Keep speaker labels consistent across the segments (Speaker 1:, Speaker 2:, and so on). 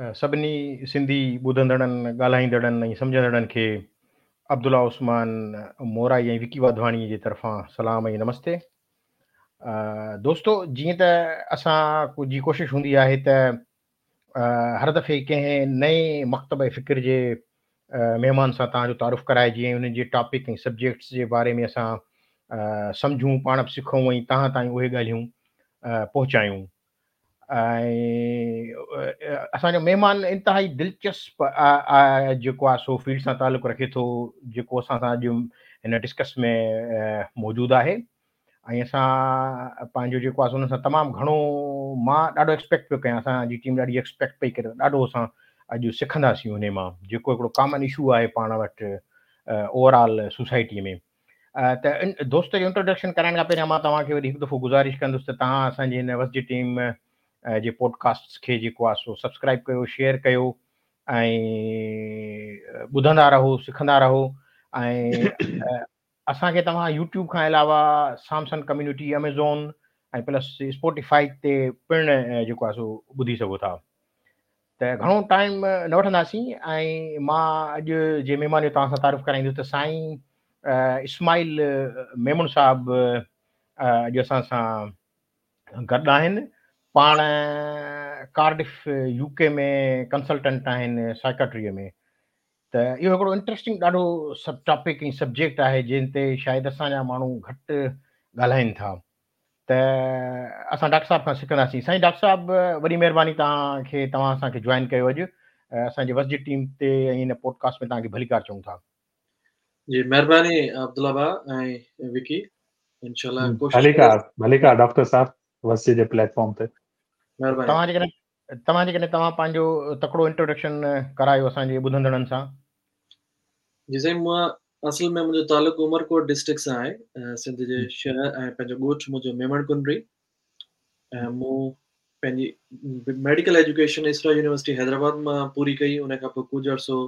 Speaker 1: سڀني سنڌي ٻڌندڙن، ڳالهائيندڙن ۽ سمجهندڙن کي عبدالله عثمان مورائي ۽ وڪي واڌواڻي جي طرفان سلام ۽ نمستي. دوستو جيئن ته اسان جي ڪوشش هوندي آهي ته هر دفعي ڪنهن نئين مڪتبه فڪر جي مهمان سان توهان جو تعارف ڪرائجي ۽ انهن جي ٽاپڪ ۽ سبجيڪٽس جي باري ۾ اسان سمجهون، پاڻ به سکون ۽ توهان تائين اهي ڳالهيون پهچايون. ۽ اسان جو مهمان انتهائي دلچسپ جيڪو آهي سو فيلڊ سان تعلق رکي ٿو جيڪو اسان سان اڄ هن ڊسڪس ۾ موجود آهي ۽ اسان پنهنجو جيڪو آهي سو ان سان تمام گهڻو مان ڏاڍو ايڪسپيڪٽ پيو ڪيان اسان جي ٽيم ڏاڍي ايڪسپيڪٽ پئي ڪري ڏاڍو اسان اڄ سکنداسين ان مان جيڪو هڪڙو ڪامن اشو آهي پاڻ وٽ اوور آل سوسائٽي ۾ ته دوست جو انٽروڊڪشن ڪرائڻ کان پهريان مان توهان کي وري هڪ دفعو گذارش ڪندس ته توهان اسان جي هن وسجي ٽيم جي پوڊڪاسٽس کي جيڪو آهي سو سبسڪرائب ڪيو شيئر ڪيو ۽ ٻڌندا رهو سکندا رهو ۽ اسان کي توهان يوٽيوب کان علاوه Samson community Amazon ۽ plus Spotify تي پڻ جيڪو آهي سو ٻڌي سگهو ٿا ته گهڻو ٽائيم نه وٺنداسين ۽ مان اڄ جي مهمان جو توهان سان تعارف ڪرائيندس ته سائين اسماعيل ميمڻ صاحب اڄ اسان سان گڏ آهن پاڻ ڪارڊف يو ڪي ۾ ڪنسلٽنٽ آهن سائيڪاٽري ۾ ته اهو هڪڙو انٽرسٽنگ ڏاڍو سب ٽاپڪ ۽ سبجيڪٽ آهي جنهن تي شايد اسان جا ماڻهو گهٽ ڳالهائين ٿا ته اسان ڊاڪٽر صاحب کان سکنداسين. سائين ڊاڪٽر صاحب وڏي مهرباني توهان کي توهان اسان کي جوائن ڪيو اڄ اسان جي وسجي ٽيم تي ۽ هن پوڊڪاسٽ ۾ توهان کي ڀليڪار چئون ٿا.
Speaker 2: جي مهرباني عبدالله ڀاء ۽ وڪي انشاء الله
Speaker 3: ڪوشش ڀليڪار ڀليڪار ڊاڪٽر صاحب وسجي جي پليٽ فارم تي.
Speaker 1: مهرباني توهان جيڪڏهن توهان جيڪڏهن توهان پنهنجو تڪڙو انٽروڊڪشن ڪرايو اسان جي ٻڌندڙن سان.
Speaker 2: جي سائين مان اصل ۾ منهنجو تعلق عمرڪوٽ ڊسٽرڪٽ سان آهي سنڌ جي شهر ۽ پنهنجو ڳوٺ منهنجو ميمڻ ڪنري ۽ مون پنهنجي ميڊيڪل ايجوڪيشن اسرا يونيورسٽي حيدرآباد مان پوري ڪئي ان کان پوء ڪجهه عرصو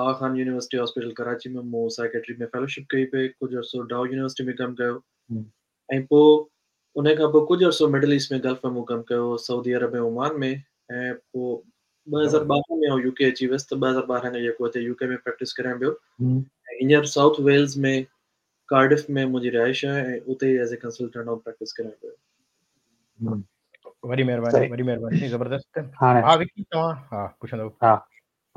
Speaker 2: آغا خان يونيورسٽي هاسپيٽل ڪراچي ۾ مون سائيڪيٽري ۾ فيلوشپ ڪئي پئي ڪجهه عرصو ڊائو يونيورسٽي ۾ ڪم ڪيو ۽ پوء ان کان پوء ڪجهه عرصو مڊل ايسٽ ۾ گلف ۾ مون ڪم ڪيو سعودي عرب ۽ عمان ۾ ۽ پوء 2012 ۾ آئون يو ڪي اچي ويس ته 2012 کان جيڪو هتي يو ڪي ۾ پريڪٽس ڪريان پيو ۽ هينئر سائوٿ ويلز ۾ ڪارڊف ۾ منهنجي رهائش آهي ۽ اتي ئي ايز اي ڪنسلٽنٽ آئون پريڪٽس ڪريان پيو.
Speaker 1: وڏي مهرباني وڏي مهرباني زبردست ها وڪي توهان ها پڇندو
Speaker 3: ها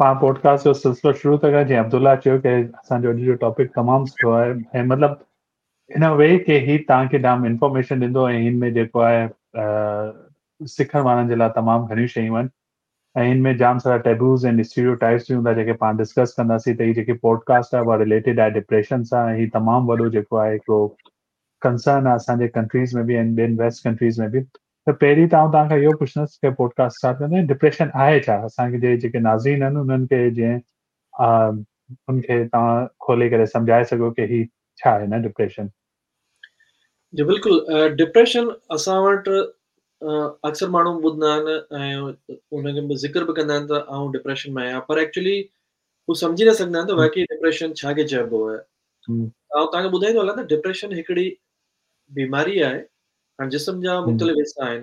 Speaker 3: پاڻ پوڊڪاسٽ جو سلسلو شروع ٿا ڪريون جيئن عبدالله چيو ڪي اسان جو اڄ جو ٽاپڪ تمام سٺو آهي ۽ مطلب ان وي ڪي هي توهان کي جام انفارميشن ڏيندو ۽ هن ۾ جيڪو آهي سکڻ وارن جي لاء تمام گهڻيون شيون آهن ۽ هن ۾ جام سارا ٽيبوز ۽ اسٽيريو ٽائپس به هوندا جيڪي پاڻ ڊسڪس ڪنداسين ته هي جيڪي پوڊڪاسٽ آهي اها رليٽيڊ آهي ڊپريشن سان هي تمام وڏو جيڪو آهي هڪڙو ڪنسرن آهي اسان جي ڪنٽريز ۾ به ۽ ٻين ويسٽ ڪنٽريز ۾ به ته پهرين ته آئون توهان کان اهو پڇندس ڪي پوڊڪاسٽ اسٽارٽ ڪندي ڊپريشن آهي ڇا اسان کي جي جيڪي ناظرين آهن انهن کي جيئن ان کي توهان کولي ڪري سمجهائي سگهو ڪي هي ڇا آهي نه ڊپريشن.
Speaker 2: جي بلڪل ڊپريشن اسان وٽ اڪثر ماڻهو ٻڌندا آهن ۽ ان کي به ذڪر به ڪندا آهن ته آئون ڊپريشن ۾ آهيان پر ايڪچولي هو سمجهي نه سگهندا آهن ته واقعي ڊپريشن ڇا کي چئبو آهي آئون توهان کي ٻڌائيندو هلان ته ڊپريشن هڪڙي بيماري آهي هاڻ جسم جا مختلف حصا آهن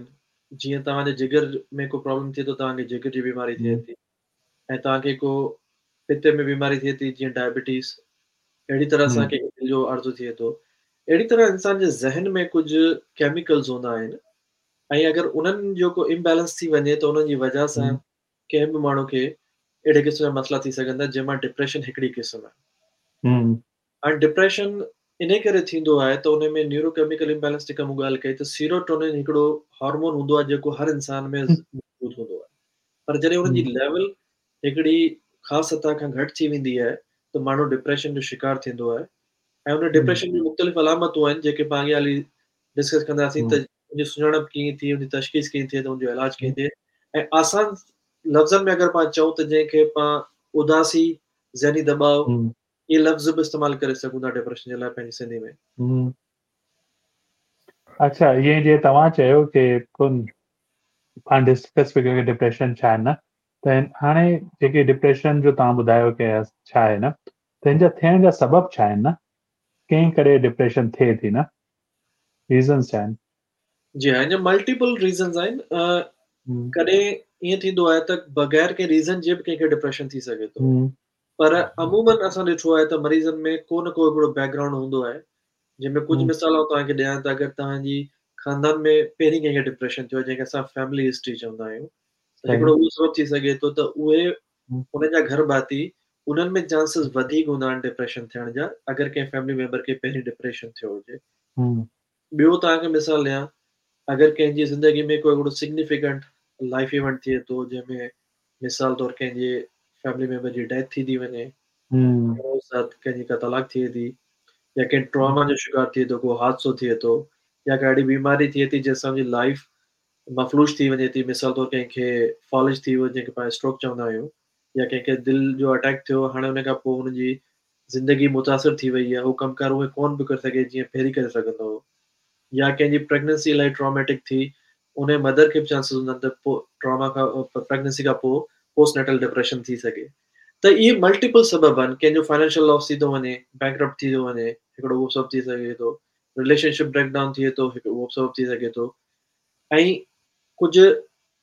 Speaker 2: جيئن توهان جي جگر ۾ ڪو پرابلم ٿئي ٿو توهان کي جگر جي بيماري ٿئي ٿي ۽ توهان کي ڪو پتي ۾ بيماري ٿئي ٿي جيئن ڊائبٽيز اهڙي طرح اسان کي دل جو عارضو ٿئي ٿو اهڙي طرح انسان جي ذهن ۾ ڪجهه ڪيميڪلز هوندا آهن ۽ اگر انهن جو ڪو امبيلنس ٿي وڃي ته انهن جي وجهه سان ڪنهن به ماڻهو کي اهڙي قسم جا مسئلا ٿي سگهن ٿا جنهن مان ڊپريشن هڪڙي قسم آهي هاڻي ڊپريشن انهي ڪري ٿيندو آهي ته ان ۾ نيورو ڪيميڪل امبيلنس جيڪا مون ڳالهه ڪئي ته سيروٽونين هڪڙو هارمون هوندو آهي جيڪو هر انسان ۾ موجود هوندو آهي پر جڏهن ان جي ليول هڪڙي خاص سطح کان گهٽ ٿي ويندي آهي ته ماڻهو ڊپريشن جو شڪار ٿيندو آهي ۽ ان ڊپريشن جون مختلف علامتون آهن جيڪي پاڻ اڳيان هلي ڊسڪس ڪنداسين ته ان جي سڃاڻپ ڪيئن ٿئي ان جي تشخيص ڪيئن ٿئي ته ان جو علاج ڪيئن ٿئي ۽ آسان لفظن ۾ اگر پاڻ چئون ته جنهن کي پاڻ اداسي ذهني دٻاء اهي لفظ به استعمال ڪري سگهون ٿا ڊپريشن جي لاء پنهنجي سنڌي ۾.
Speaker 3: اڇا ائين جي توهان چيو ڪي ڪن پاڻ ڊسڪس پيا ڪيون ڪي ڊپريشن ڇا آهي نه ته هاڻي جيڪي ڊپريشن جو توهان ٻڌايو ڪي ڇا آهي نه ته هن جا ٿيڻ جا سبب ڇا آهن نه ڪنهن ڪري ڊپريشن ٿئي ٿي نه ريزنس ڇا آهن؟
Speaker 2: جي ها هن جا ملٽيپل ريزنس آهن ڪڏهن ائين ٿيندو آهي ته بغير ڪنهن ريزن جي به ڪنهن کي ڊپريشن ٿي سگهي ٿو. پر عمومن اسان ڏٺو آهي ته مريضن ۾ ڪو نه ڪو هڪڙو بيڪ گرائونڊ هوندو آهي، جنهن ۾ ڪجهه مثال آئون توهان کي ڏيان ته اگر توهان جي خاندان ۾ پهرين ڪنهن کي ڊپريشن ٿيو آهي، جنهن کي اسان فيملي هسٽري چوندا آهيون، ته هڪڙو اهو سبب ٿي سگهي ٿو ته اهي انهن جا گهر ڀاتي انهن ۾ چانسز وڌيڪ هوندا آهن ڊپريشن ٿيڻ جا، اگر ڪنهن فيملي ميمبر کي پهرين ڊپريشن ٿيو هجي. ٻيو توهان کي مثال ڏيان، اگر ڪنهن جي زندگي ۾ ڪو هڪڙو سگنيفڪنٽ لائف ايونٽ ٿئي ٿو، جنهن ۾ مثال طور ڪنهن جي فيملي ميمبر جي ڊيٿ ٿي ٿي وڃي، ساٿ ڪنهن جي ڪا طلاق ٿئي ٿي، يا ڪنهن ٽراما جو شڪار ٿئي ٿو، ڪو حادثو ٿئي ٿو، يا ڪا اهڙي بيماري ٿئي ٿي جنهن سان ان جي لائف مفلوج ٿي وڃي ٿي، مثال طور ڪنهن کي فالج ٿي ويو جنهن کي پاڻ اسٽروڪ چوندا آهيون، يا ڪنهن کي دل جو اٽيڪ ٿيو، هاڻي ان کان پوء هن جي زندگي متاثر ٿي وئي آهي، هو ڪم ڪار اهي ڪونه پيو ڪري سگهي جيئن پهرين ڪري سگهندو هو، يا ڪنهن جي پريگننسي الاهي ٽراميٽڪ ٿي، ان جي مدر کي به چانسز هوندا آهن ته پوء ٽراما کان پريگننسي کان پوء پوسٽ نيٽل ڊپريشن ٿي سگهي. ته اهي ملٽيپل سبب آهن، ڪنهن جو فائنانشل لاس ٿي ٿو وڃي، بينڪرپٽ ٿي ٿو وڃي، هڪڙو اهو سبب ٿي سگهي ٿو، رليشن شپ بريڪ ڊائون ٿئي ٿو، هڪ اهو سبب ٿي سگهي ٿو، ۽ ڪجهه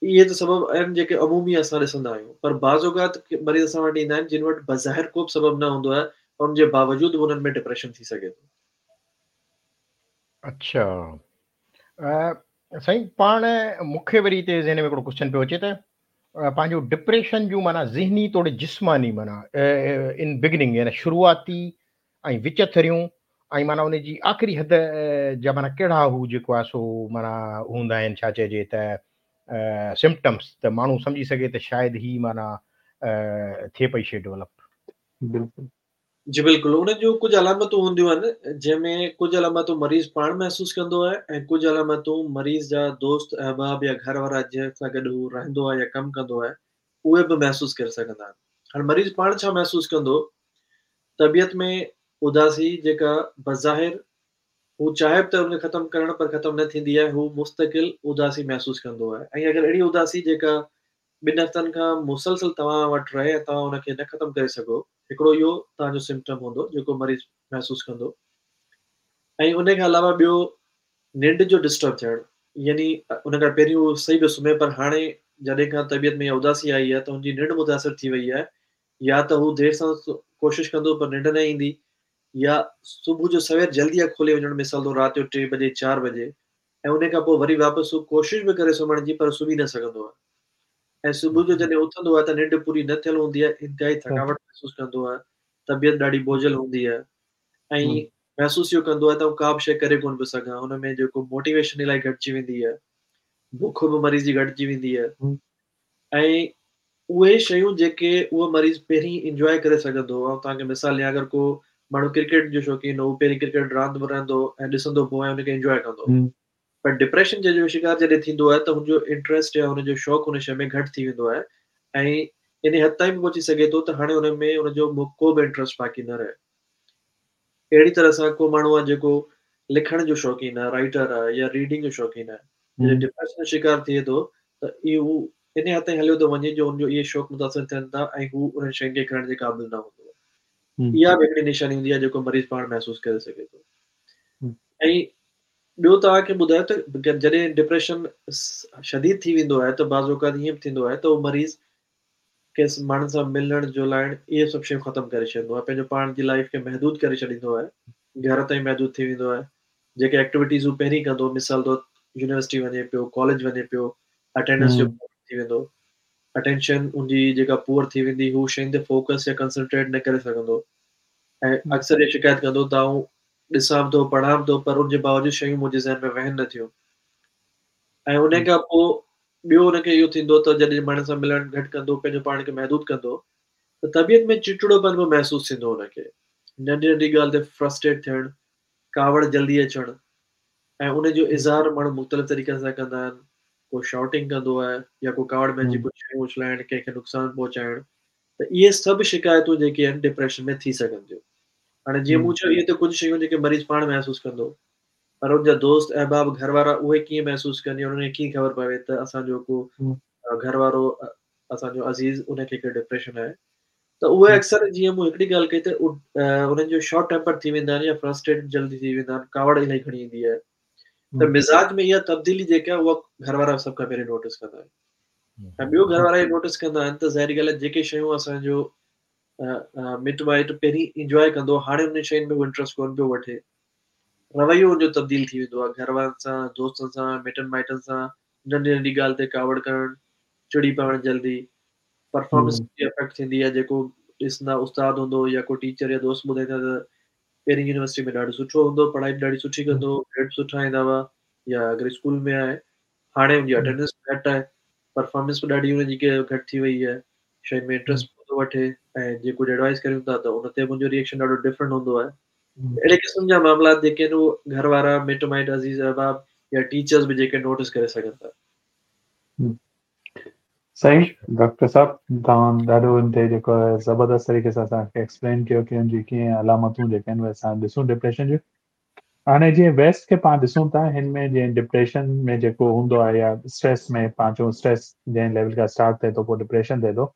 Speaker 2: اهي ته سبب آهن جيڪي عمومي اسان ڏسندا آهيون، پر بعض اوقات مريض اسان وٽ ايندا آهن جن وٽ بظاهر ڪو به سبب نه هوندو آهي، پر ان جي باوجود به انهن ۾ ڊپريشن ٿي سگهي ٿو.
Speaker 1: اڇا سائين پاڻ مون کي وري هتي ذهن ۾ هڪڙو ڪوشچن پيو اچي ته پنهنجو ڊپريشن جون معنيٰ ذهني توڙي جسماني معنيٰ ان بگننگ يعني شروعاتي ۽ وچٿريون ۽ معنيٰ ان جي آخري حد جا معنيٰ ڪهڙا هو جيڪو آهي سو معنيٰ هوندا آهن ڇا چئجي ته سمپٽمس ته ماڻهو سمجهي سگهي ته شايد هي معنيٰ ٿئي پئي شي ڊولپ.
Speaker 2: بلڪل. جي بلڪل ان جون ڪجهه علامتون هونديون آهن جنهن ۾ ڪجهه علامتون مريض پاڻ محسوس ڪندو آهي ۽ ڪجهه علامتون مريض جا دوست احباب يا گهر وارا جنهن سان گڏ هو رهندو آهي يا ڪم ڪندو آهي اهي به محسوس ڪري سگهندا آهن. هاڻي مريض پاڻ ڇا محسوس ڪندو؟ طبيعت ۾ اداسي جيڪا بظاهر هو چاهي به ته ان کي ختم ڪرڻ پر ختم نه ٿيندي آهي، هو مستقل اداسي محسوس ڪندو آهي ۽ اگر اهڙي اداسي جيڪا ٻن هفتن کان مسلسل توهان وٽ رهي ۽ توهان ان کي نه ختم ڪري سگهو، هڪڙو اهو توهان جو سمپٽم هوندو جيڪو مريض محسوس ڪندو ۽ ان کان علاوه ٻيو ننڊ جو ڊسٽرب ٿيڻ يعني ان کان پهرين هو صحيح پيو سمهي پر هاڻي جڏهن کان طبيعت ۾ اها اداسي آئي آهي ته هن جي ننڊ متاثر ٿي وئي آهي يا ته هو دير سان ڪوشش ڪندو پر ننڊ نه ايندي يا صبح جو سوير جلدي اک کولي وڃڻ مثال طور رات جو ٽي بجي چار بجي ۽ ان کان پوء وري واپس هو ڪوشش به ڪري سمهڻ جي پر سمهي نه سگهندو آهي ۽ صبح جو جڏهن اٿندو آهي ته ننڊ پوري نه ٿيل هوندي آهي، انتهائي ٿڪاوٽ محسوس ڪندو آهي، طبيعت ڏاڍي بوجهل هوندي آهي ۽ محسوس اهو ڪندو آهي ته آئون ڪا به شيء ڪري ڪونه پيو سگهان، ان ۾ جيڪو موٽيويشن الاهي گهٽجي ويندي آهي، بک به مريض جي گهٽجي ويندي آهي ۽ اهي شيون جيڪي اهو مريض پهرين انجواء ڪري سگهندو هو، آئون توهان کي مثال ڏيان اگر ڪو ماڻهو ڪرڪيٽ جو شوقين هو، هو پهرين ڪرڪيٽ راند به رهندو هو ۽ ڏسندو به هو ۽ ان کي انجواء ڪندو هو پر ڊپريشن جو شڪار جڏهن ٿيندو آهي ته هن جو انٽريسٽ يا هن جو شوق ان شيء ۾ گهٽ ٿي ويندو آهي ۽ ان حد تائين به پهچي سگهي ٿو ته هاڻي ان ۾ ان جو ڪو به انٽريسٽ باقي نه رهي. اهڙي طرح سان ڪو ماڻهو آهي جيڪو لکڻ جو شوقين آهي، رائيٽر آهي يا ريڊنگ جو شوقين آهي، جڏهن ڊپريشن جو شڪار ٿئي ٿو ته اهو ان حد تائين هليو ٿو وڃي جو ان جو اهي شوق متاثر ٿين ٿا ۽ هو انهن شين کي ڪرڻ جي قابل نه هوندو آهي. اها به هڪڙي نشاني هوندي آهي جيڪو مريض پاڻ محسوس ڪري سگهي ٿو. ۽ ٻيو توهان کي ٻڌايو ته جڏهن ڊپريشن شديد ٿي ويندو آهي ته بعض اوقات ائين به ٿيندو آهي ته اهو مريض ڪنهن ماڻهن سان ملڻ جلائڻ اهي سڀ شيون ختم ڪري ڇڏيندو آهي، پنهنجو پاڻ جي لائيف کي محدود ڪري ڇڏيندو آهي، گهر تائين محدود ٿي ويندو آهي، جيڪي ايڪٽيوٽيز هو پهرين ڪندو هو مثال طور يونيورسٽي وڃي پيو، ڪاليج وڃي پيو، اٽينڊنس جو پرابلم ٿي ويندو، اٽينشن ان جي جيڪا پوئر ٿي ويندي، هو شين تي فوڪس يا ڪنسنٽريٽ نه ڪري سگهندو ۽ اڪثر اها شڪايت ڪندو ته آئون ڏسان به ٿو، پڙهان به ٿو پر ان جي باوجود شيون منهنجي ذهن ۾ ويهن نه ٿيون ۽ ان کان پوء ٻيو ان کي اهو ٿيندو ته جڏهن ماڻهن سان ملڻ گهٽ ڪندو، پنهنجو پاڻ کي محدود ڪندو ته طبيعت ۾ چڙچڙوپن به محسوس ٿيندو ان کي. ننڍي ننڍي ڳالهه تي فرسٽريٽ ٿيڻ، ڪاوڙ جلدي اچڻ ۽ ان جو اظهار ماڻهو مختلف طريقن سان ڪندا آهن. ڪو شائوٽنگ ڪندو آهي يا ڪو ڪاوڙ ۾ اچي ڪجهه شيون اڇلائڻ، ڪنهن کي نقصان پهچائڻ ته اهي سڀ شڪايتون جيڪي آهن ڊپريشن ۾ ٿي سگهن ٿيون. هاڻي جيئن مون چيو اهي ته ڪجهه شيون جيڪي مريض پاڻ محسوس ڪندو پر ان جا دوست احباب گهر وارا اهي ڪيئن محسوس ڪن يا انهن کي ڪيئن خبر پوي ته اسان جو ڪو گهر وارو اسان جو عزيز ان کي ڪو ڊپريشن آهي ته اهي اڪثر جيئن مون هڪڙي ڳالهه ڪئي ته انهن جو شارٽ ٽيمپر ٿي ويندا آهن يا فرسٽريٽ جلدي ٿي ويندا آهن، ڪاوڙ الاهي کڻي ايندي آهي ته مزاج ۾ اها تبديلي جيڪا آهي اها گهر وارا سڀ کان پهرين نوٽس ڪندا آهن. ۽ ٻيو گهر وارا اهو نوٽس ڪندا آهن ته ظاهري ڳالهه آهي جيڪي شيون اسان جو مٽ مائٽ پهرين انجواء ڪندو هو هاڻي انهن شين ۾ انٽرسٽ ڪونه پيو وٺي. رويو ان جو تبديل ٿي ويندو آهي گهر وارن سان، دوستن سان، مٽن مائٽن سان ننڍي ننڍي ڳالهه تي ڪاوڙ ڪرڻ، چڙي پوڻ جلدي، پرفارمنس جي افيڪٽ ٿيندي آهي جيڪو ڏسندا استاد هوندو يا ڪو ٽيچر يا دوست ٻڌائيندا ته پهرين يونيورسٽي ۾ ڏاڍو سٺو هوندو پڙهائي به ڏاڍي سٺي ڪندو هو گريڊ سٺا ايندا هئا يا اگر اسڪول ۾ آهي هاڻي ان جي اٽينڊنس گهٽ آهي پرفارمنس به ڏاڍي ان جي گهٽ ٿي وئي آهي شين ۾ انٽرسٽ ڪونه ٿو وٺي ۽ جي ڪجهه ايڊوائز ڪريون ٿا ته ان تي به ان جو ريئڪشن ڏاڍو ڊفرنٽ هوندو آهي اهڙي قسم جا معاملات جيڪي آهن اهو گهر وارا مٽ مائٽ عزيز احباب يا ٽيچرز به جيڪي نوٽس ڪري سگهن ٿا.
Speaker 3: صحيح ڊاڪٽر صاحب توهان ڏاڍو ان تي جيڪو آهي زبردست طريقي سان اسان کي ايڪسپلين ڪيو ڪي ان جي ڪيئن علامتون جيڪي آهن اهي اسان ڏسون ڊپريشن جون هاڻي جيئن ويسٽ کي پاڻ ڏسون ٿا هن ۾ جيئن ڊپريشن ۾ جيڪو هوندو آهي يا اسٽريس ۾ پاڻ چئون اسٽريس جنهن ليول کان اسٽارٽ ٿئي ٿو پوء ڊپريشن ٿئي ٿو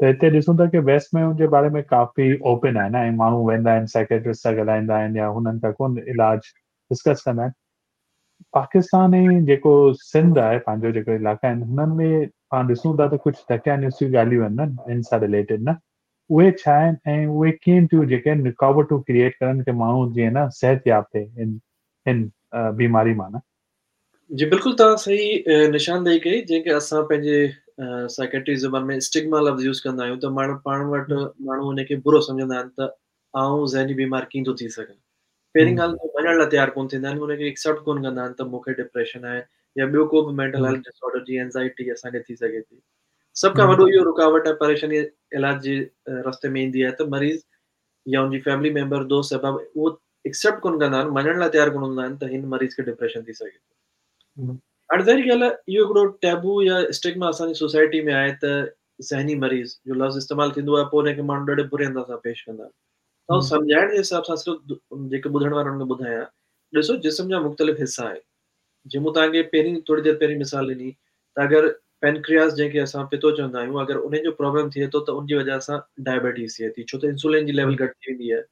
Speaker 3: ته هتي ڏسون ٿا ڪي ويسٽ ۾ ان جي باري ۾ ڪافي اوپن آهن ۽ ماڻهو ويندا آهن سائيڪيٽرسٽ سان ڳالهائيندا آهن يا هنن کان ڪون علاج ڊسڪس ڪندا آهن پاڪستان ۽ جيڪو سنڌ آهي پنهنجو جيڪو علائقا آهن هنن ۾ پاڻ ڏسون ٿا ته ڪجهه دقيانوسي ڳالهيون آهن نه ان سان رليٽيڊ نه اهي ڇا آهن ۽ اهي ڪيئن ٿيون جيڪي آهن رڪاوٽون ڪريئيٽ ڪرن ڪي ماڻهو جيئن نه صحت ياب ٿئي ان هن بيماري مان نه.
Speaker 2: جي بلڪل توهان صحيح نشاندهي ڪئي جنهن کي اسان پنهنجي سائيڪيٽري زبان ۾ اسٽگما لفظ يوز ڪندا آهيون ته ماڻهو پاڻ وٽ ماڻهو ان کي برو سمجهندا آهن ته آئون ذهني بيمار ڪيئن ٿو ٿي سگهان پهرين ڳالهه ته مڃڻ لاء تيار ڪونه ٿيندا آهن ان کي ايڪسيپٽ ڪونه ڪندا آهن ته مون کي ڊپريشن آهي يا ٻيو ڪو به مينٽل هيلٿ ڊس آرڊر جيئن اينزائٽي اسان کي ٿي سگهي ٿي سڀ کان وڏو اهو رڪاوٽ ۽ پريشاني علاج جي رستي ۾ ايندي آهي ته مريض يا ان جي فيملي ميمبر دوست احباب اهو ايڪسيپٽ ڪونه ڪندا آهن مڃڻ لاء تيار ڪونه هوندا آهن ته هن مريض کي ڊپريشن ٿي سگهي ٿو هاڻي ظاهري ڳالهه آهي اهو هڪڙو ٽيبو يا اسٽگما اسان جي سوسائٽي ۾ آهي ته ذهني مريض جو لفظ استعمال ٿيندو آهي پوء ان کي ماڻهو ڏاڍي بري انداز سان پيش ڪندا آهن ته آئون سمجهائڻ جي حساب سان صرف جيڪي ٻڌڻ وارن کي ٻڌايان ڏسو جسم جا مختلف حصا آهن جيئن مون توهان کي پهرين ٿوري دير پهرين مثال ڏني ته اگر پينڪرياس جنهن کي اسان پتو چوندا آهيون اگر ان جو پرابلم ٿئي ٿو ته ان جي وجه سان ڊائبيٽيز ٿئي ٿي ڇو ته انسولين جي ليول گهٽ ٿي ويندي آهي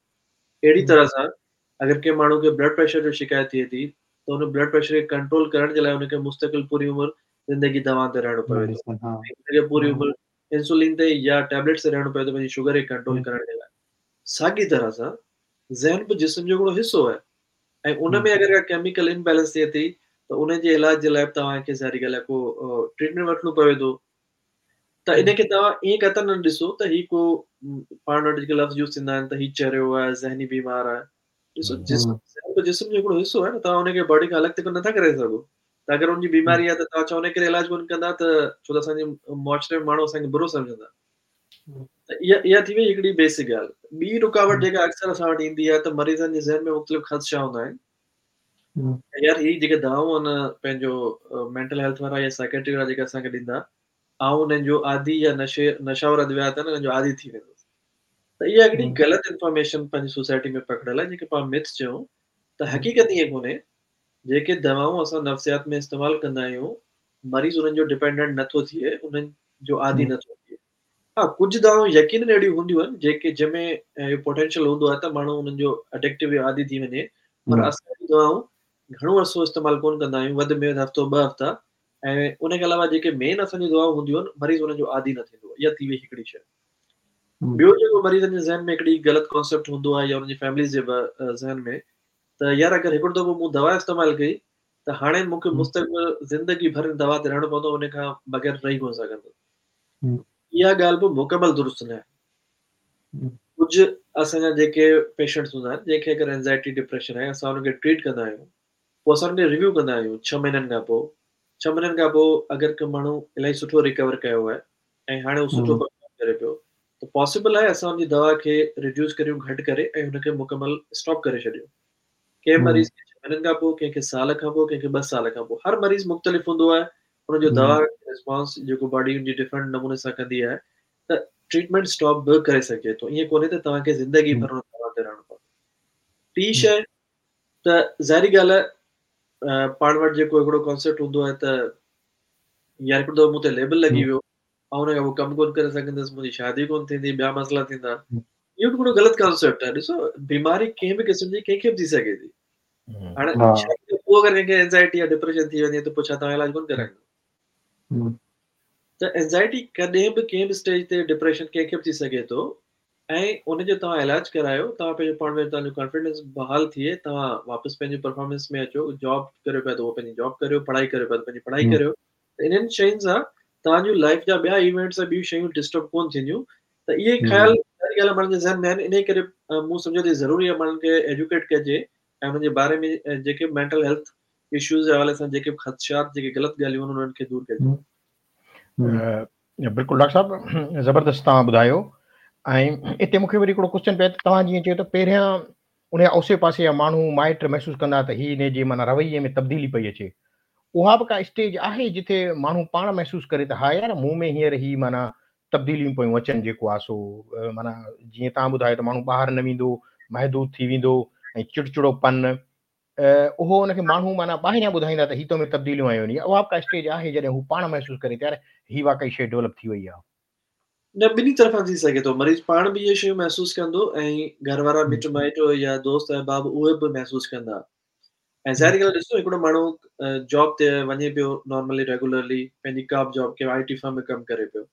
Speaker 2: اهڙي طرح سان اگر ڪنهن ماڻهو کي بلڊ پريشر جو شڪايت ٿئي ٿي ته ان بلڊ پريشر کي ڪنٽرول ڪرڻ جي لاء ان کي مستقل پوري عمر زندگي دوائن تي رهڻو پوي ٿو ان کي پوري عمر انسولين تي يا ٽيبليٽس تي رهڻو پوي ٿو پنهنجي شگر کي ڪنٽرول ڪرڻ جي لاء ساڳي طرح سان ذهن به جسم جو هڪڙو حصو آهي ۽ ان ۾ اگر ڪا ڪيميڪل امبيلنس ٿئي ٿي ته ان جي علاج جي لاء به توهان کي ظاهري ڳالهه آهي ڪو ٽريٽمينٽ وٺڻو پوي ٿو ته ان کي توهان ائين قطعاً نه ڏسو ته هي ڪو پاڻ وٽ جيڪي لفظ يوز ٿيندا آهن ته هي چريو آهي ذهني بيمار آهي ڏسو جسم ذهن ته جسم جو هڪڙو حصو آهي نه توهان ان کي باڊي کان الڳ ته نٿا ڪري سگهو ته اگر ان جي بيماري آهي ته توهان ڇا ان ڪري علاج ڪونه ڪندا ته ڇو ته اسان جي معاشري ۾ ماڻهو اسان کي برو سمجهندا ته اها اها ٿي وئي هڪڙي بيسڪ ڳالهه. ٻي رڪاوٽ جيڪا اڪثر اسان وٽ ايندي آهي ته مريضن جي ذهن ۾ مختلف خدشا هوندا آهن ته يار هي جيڪي دوائون آهن پنهنجو مينٽل هيلٿ وارا يا سائيڪيٽري وارا جيڪي اسان کي ڏيندا آئون انهن جو عادي يا نشي نشاور ادويات آهن انهن جو عادي ٿي ويندس ته اها هڪڙي غلط انفارميشن پنهنجي سوسائٽي ۾ پکڙيل آهي جنهن کي پاڻ مٿ چئون ته حقيقت ائين ڪونهي جيڪي دوائون اسان نفسيات ۾ استعمال ڪندا آهيون مريض انهن جو ڊپينڊنٽ نٿو ٿئي انهن جو عادي نٿو ٿئي. ها ڪجهه دوائون يقينن اهڙيون هونديون آهن جيڪي جنهن ۾ اهو پوٽينشل هوندو آهي ته ماڻهو انهن جو اڊڪٽو يا عادي ٿي وڃي پر اسان اهڙيون دوائون گهڻو عرصو استعمال ڪونه ڪندا آهيون وڌ ۾ وڌ هفتو ٻه هفتا ۽ ان کان علاوه جيڪي مين اسان جون دوائون هونديون آهن مريض انهن جو عادي نه ٿيندو آهي اها ٿي وئي هڪڙي شيء ٻيو جيڪو مريضن جي ذهن ۾ هڪڙي غلط ڪانسيپٽ هوندو آهي يا انهن جي فيمليز جي ذهن ۾ ته يار اگر هڪڙو دفعو مون دوا استعمال ڪئي ته هاڻي مون کي مستقبل زندگي ڀر ان دوا تي رهڻو پوندو ان کان بغير رهي ڪونه سگهندس. اها ڳالهه به مڪمل درست نه آهي. ڪجهه اسان جا جيڪي پيشنٽس هوندا آهن جنهن کي اگر اينزائٽي ڊپريشن آهي اسان انهن کي ٽريٽ ڪندا آهيون پوء اسان انهن کي ريويو ڪندا آهيون ڇهه مهينن کان پوء ڇهه مهينن کان پوء اگر ڪو ماڻهو الاهي سٺو ريڪور ڪيو آهي ۽ هاڻي هو سٺو پرفارم ڪري پيو ته پاسيبل آهي اسان ان جي دوا کي ريڊيوس ڪريون گهٽ ڪري ۽ هن کي مڪمل اسٽاپ ڪري ڇڏيون. ڪنهن مريض کي ڇهه مهينن کان پوء، ڪنهن کي سال کان پوء، ڪنهن کي ٻه سال کان پوء. هر مريض مختلف هوندو آهي، ان جو دوا رسپانس جيڪو باڊي ان جي ڊفرنٽ نموني سان ڪندي آهي ته ٽريٽمينٽ اسٽاپ به ڪري سگهجي ٿو. ائين ڪونهي ته توهان کي زندگي ڀر ان دوا تي رهڻو پوندو. ٽين شيء ته ظاهري ڳالهه آهي پاڻ وٽ جيڪو هڪڙو ڪانسيپٽ هوندو آهي ته يار هڪڙو دفعو مون تي ليبل لڳي ويو آئون ان کان پوء ڪم ڪونه ڪري سگهندس، منهنجي شادي ڪونه ٿيندي، ٻيا مسئلا ٿيندا. اهو به هڪڙو غلط ڪانسيپٽ آهي. ڏسو بيماري ڪنهن به قسم جي ڪنهن کي به ٿي سگهي ٿي. هاڻي شادي کان پوء اگر ڪنهن کي اينزائٽي يا ڊپريشن ٿي وڃي ته پوء ڇا توهان علاج ڪونه ڪرائيندو؟ ته اينزائٽي ڪڏهن به ڪنهن به اسٽيج تي ڊپريشن ڪنهن کي به ٿي سگهي ٿو ۽ ان جو توهان علاج ڪرايو توهان پنهنجو پاڻ ۾ توهان جو ڪانفيڊنس بحال ٿئي توهان واپس پنهنجي پرفارمنس ۾ اچو جاب ڪريو پيا ته اهو پنهنجي جاب ڪريو پڙهائي ڪريو پيا ته پنهنجي پڙهائي ڪريو ته انهن شين سان توهان جون لائف جا ٻيا ايونٽس ۽ ٻيون شيون ڊسٽرب ڪون ٿينديون ته اهي خيال ظاهري ڳالهه آهي ماڻهن جي ذهن ۾ آهن انهي ڪري مون سمجهيو ته ضروري آهي ماڻهن کي ايجوڪيٽ ڪجي ۽ انهن جي باري ۾ جيڪي مينٽل هيلٿ اشوز جي حوالي سان جيڪي به خدشات جيڪي غلط ڳالهيون آهن انهن کي دور ڪجي.
Speaker 1: بلڪل ڊاڪٽر صاحب زبردست توهان ٻڌايو ۽ اتي مونکي وري هڪڙو ڪوشچن پيو ته توهان جيئن چيو ته پهريان ان جا اوسي پاسي جا ماڻهو مائٽ محسوس ڪندا ته هي ان جي معنيٰ رويي ۾ تبديلي پئي اچي اها به ڪا اسٽيج آهي جتي ماڻهو پاڻ محسوس ڪري ته ها يار مون ۾ هينئر هي معنيٰ تبديليون پيون اچن جيڪو آهي سو معنيٰ جيئن توهان ٻڌايو ته ماڻهو ٻاهر نه ويندو محدود ٿي ويندو ۽ چڙچڙو پن اهو ان کي ماڻهو معنيٰ ٻاهريان ٻڌائيندا ته هي تو ۾ تبديليون آيون آهن يا اها به ڪا اسٽيج آهي جڏهن هو پاڻ محسوس ڪري ته يار هي واقعي شيء ڊولپ ٿي وئي آهي.
Speaker 2: نه ٻنهي طرفان ٿي سگهي ٿو مريض پاڻ به اهي شيون محسوس ڪندو ۽ گهر وارا مٽ مائٽ يا دوست احباب اهي به محسوس ڪندا ۽ ظاهري ڳالهه ڏسو هڪڙو ماڻهو جاب تي وڃي پيو نارملي ريگولرلي پنهنجي ڪا به جاب ڪنهن آئي ٽي فرم ۾ ڪم ڪري پيو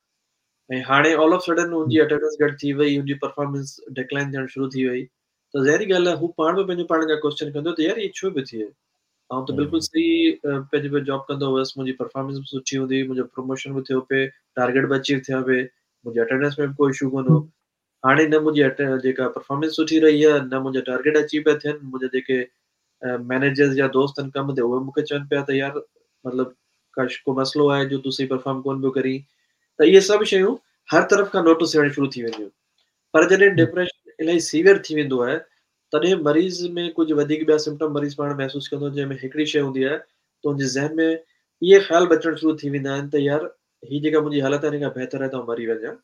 Speaker 2: ۽ هاڻي آل آف سڊن هن جي اٽينڊنس گهٽ ٿي وئي هن جي پرفارمنس ڊڪلائن ٿيڻ شروع ٿي وئي ته ظاهري ڳالهه آهي هو پاڻ به پنهنجو پاڻ کان ڪوئسچن ڪندو ته يار هي ڇو پيو ٿئي آئون ته بلڪل صحيح پنهنجي پنهنجي جاب ڪندو هئس منهنجي پرفارمنس به سٺي هوندي هئي منهنجو پروموشن به ٿيو پئي ٽارگيٽ به اچيو ٿيا پئي منهنجي اٽينڊنس ۾ به ڪو اشو ڪونه هو هاڻي نه منهنجي جيڪا پرفارمنس سٺي رهي آهي نه منهنجا ٽارگيٽ اچيو پيا ٿين منهنجا جيڪي مينيجرز يا دوست آهن ڪم تي اهي مون کي چون پيا ته يار مطلب ڪا ڪو مسئلو آهي جو تون صحيح پرفارم ڪونه پيو ڪرين ته اهي سڀ شيون هر طرف کان نوٽس ٿيڻ شروع ٿي وينديون پر جڏهن ڊپريشن الاهي سيويئر ٿي ويندو آهي تڏهن مريض ۾ ڪجهه وڌيڪ ٻيا سمپٽم مريض پاڻ محسوس ڪندو جنهن ۾ هڪڙي شيء هوندي آهي ته ان جي ذهن ۾ اهي خيال به اچڻ شروع ٿي ويندا آهن ته يار هي جيڪا منهنجي حالت آهي ان کان بهتر آهي ته آئون مري وڃان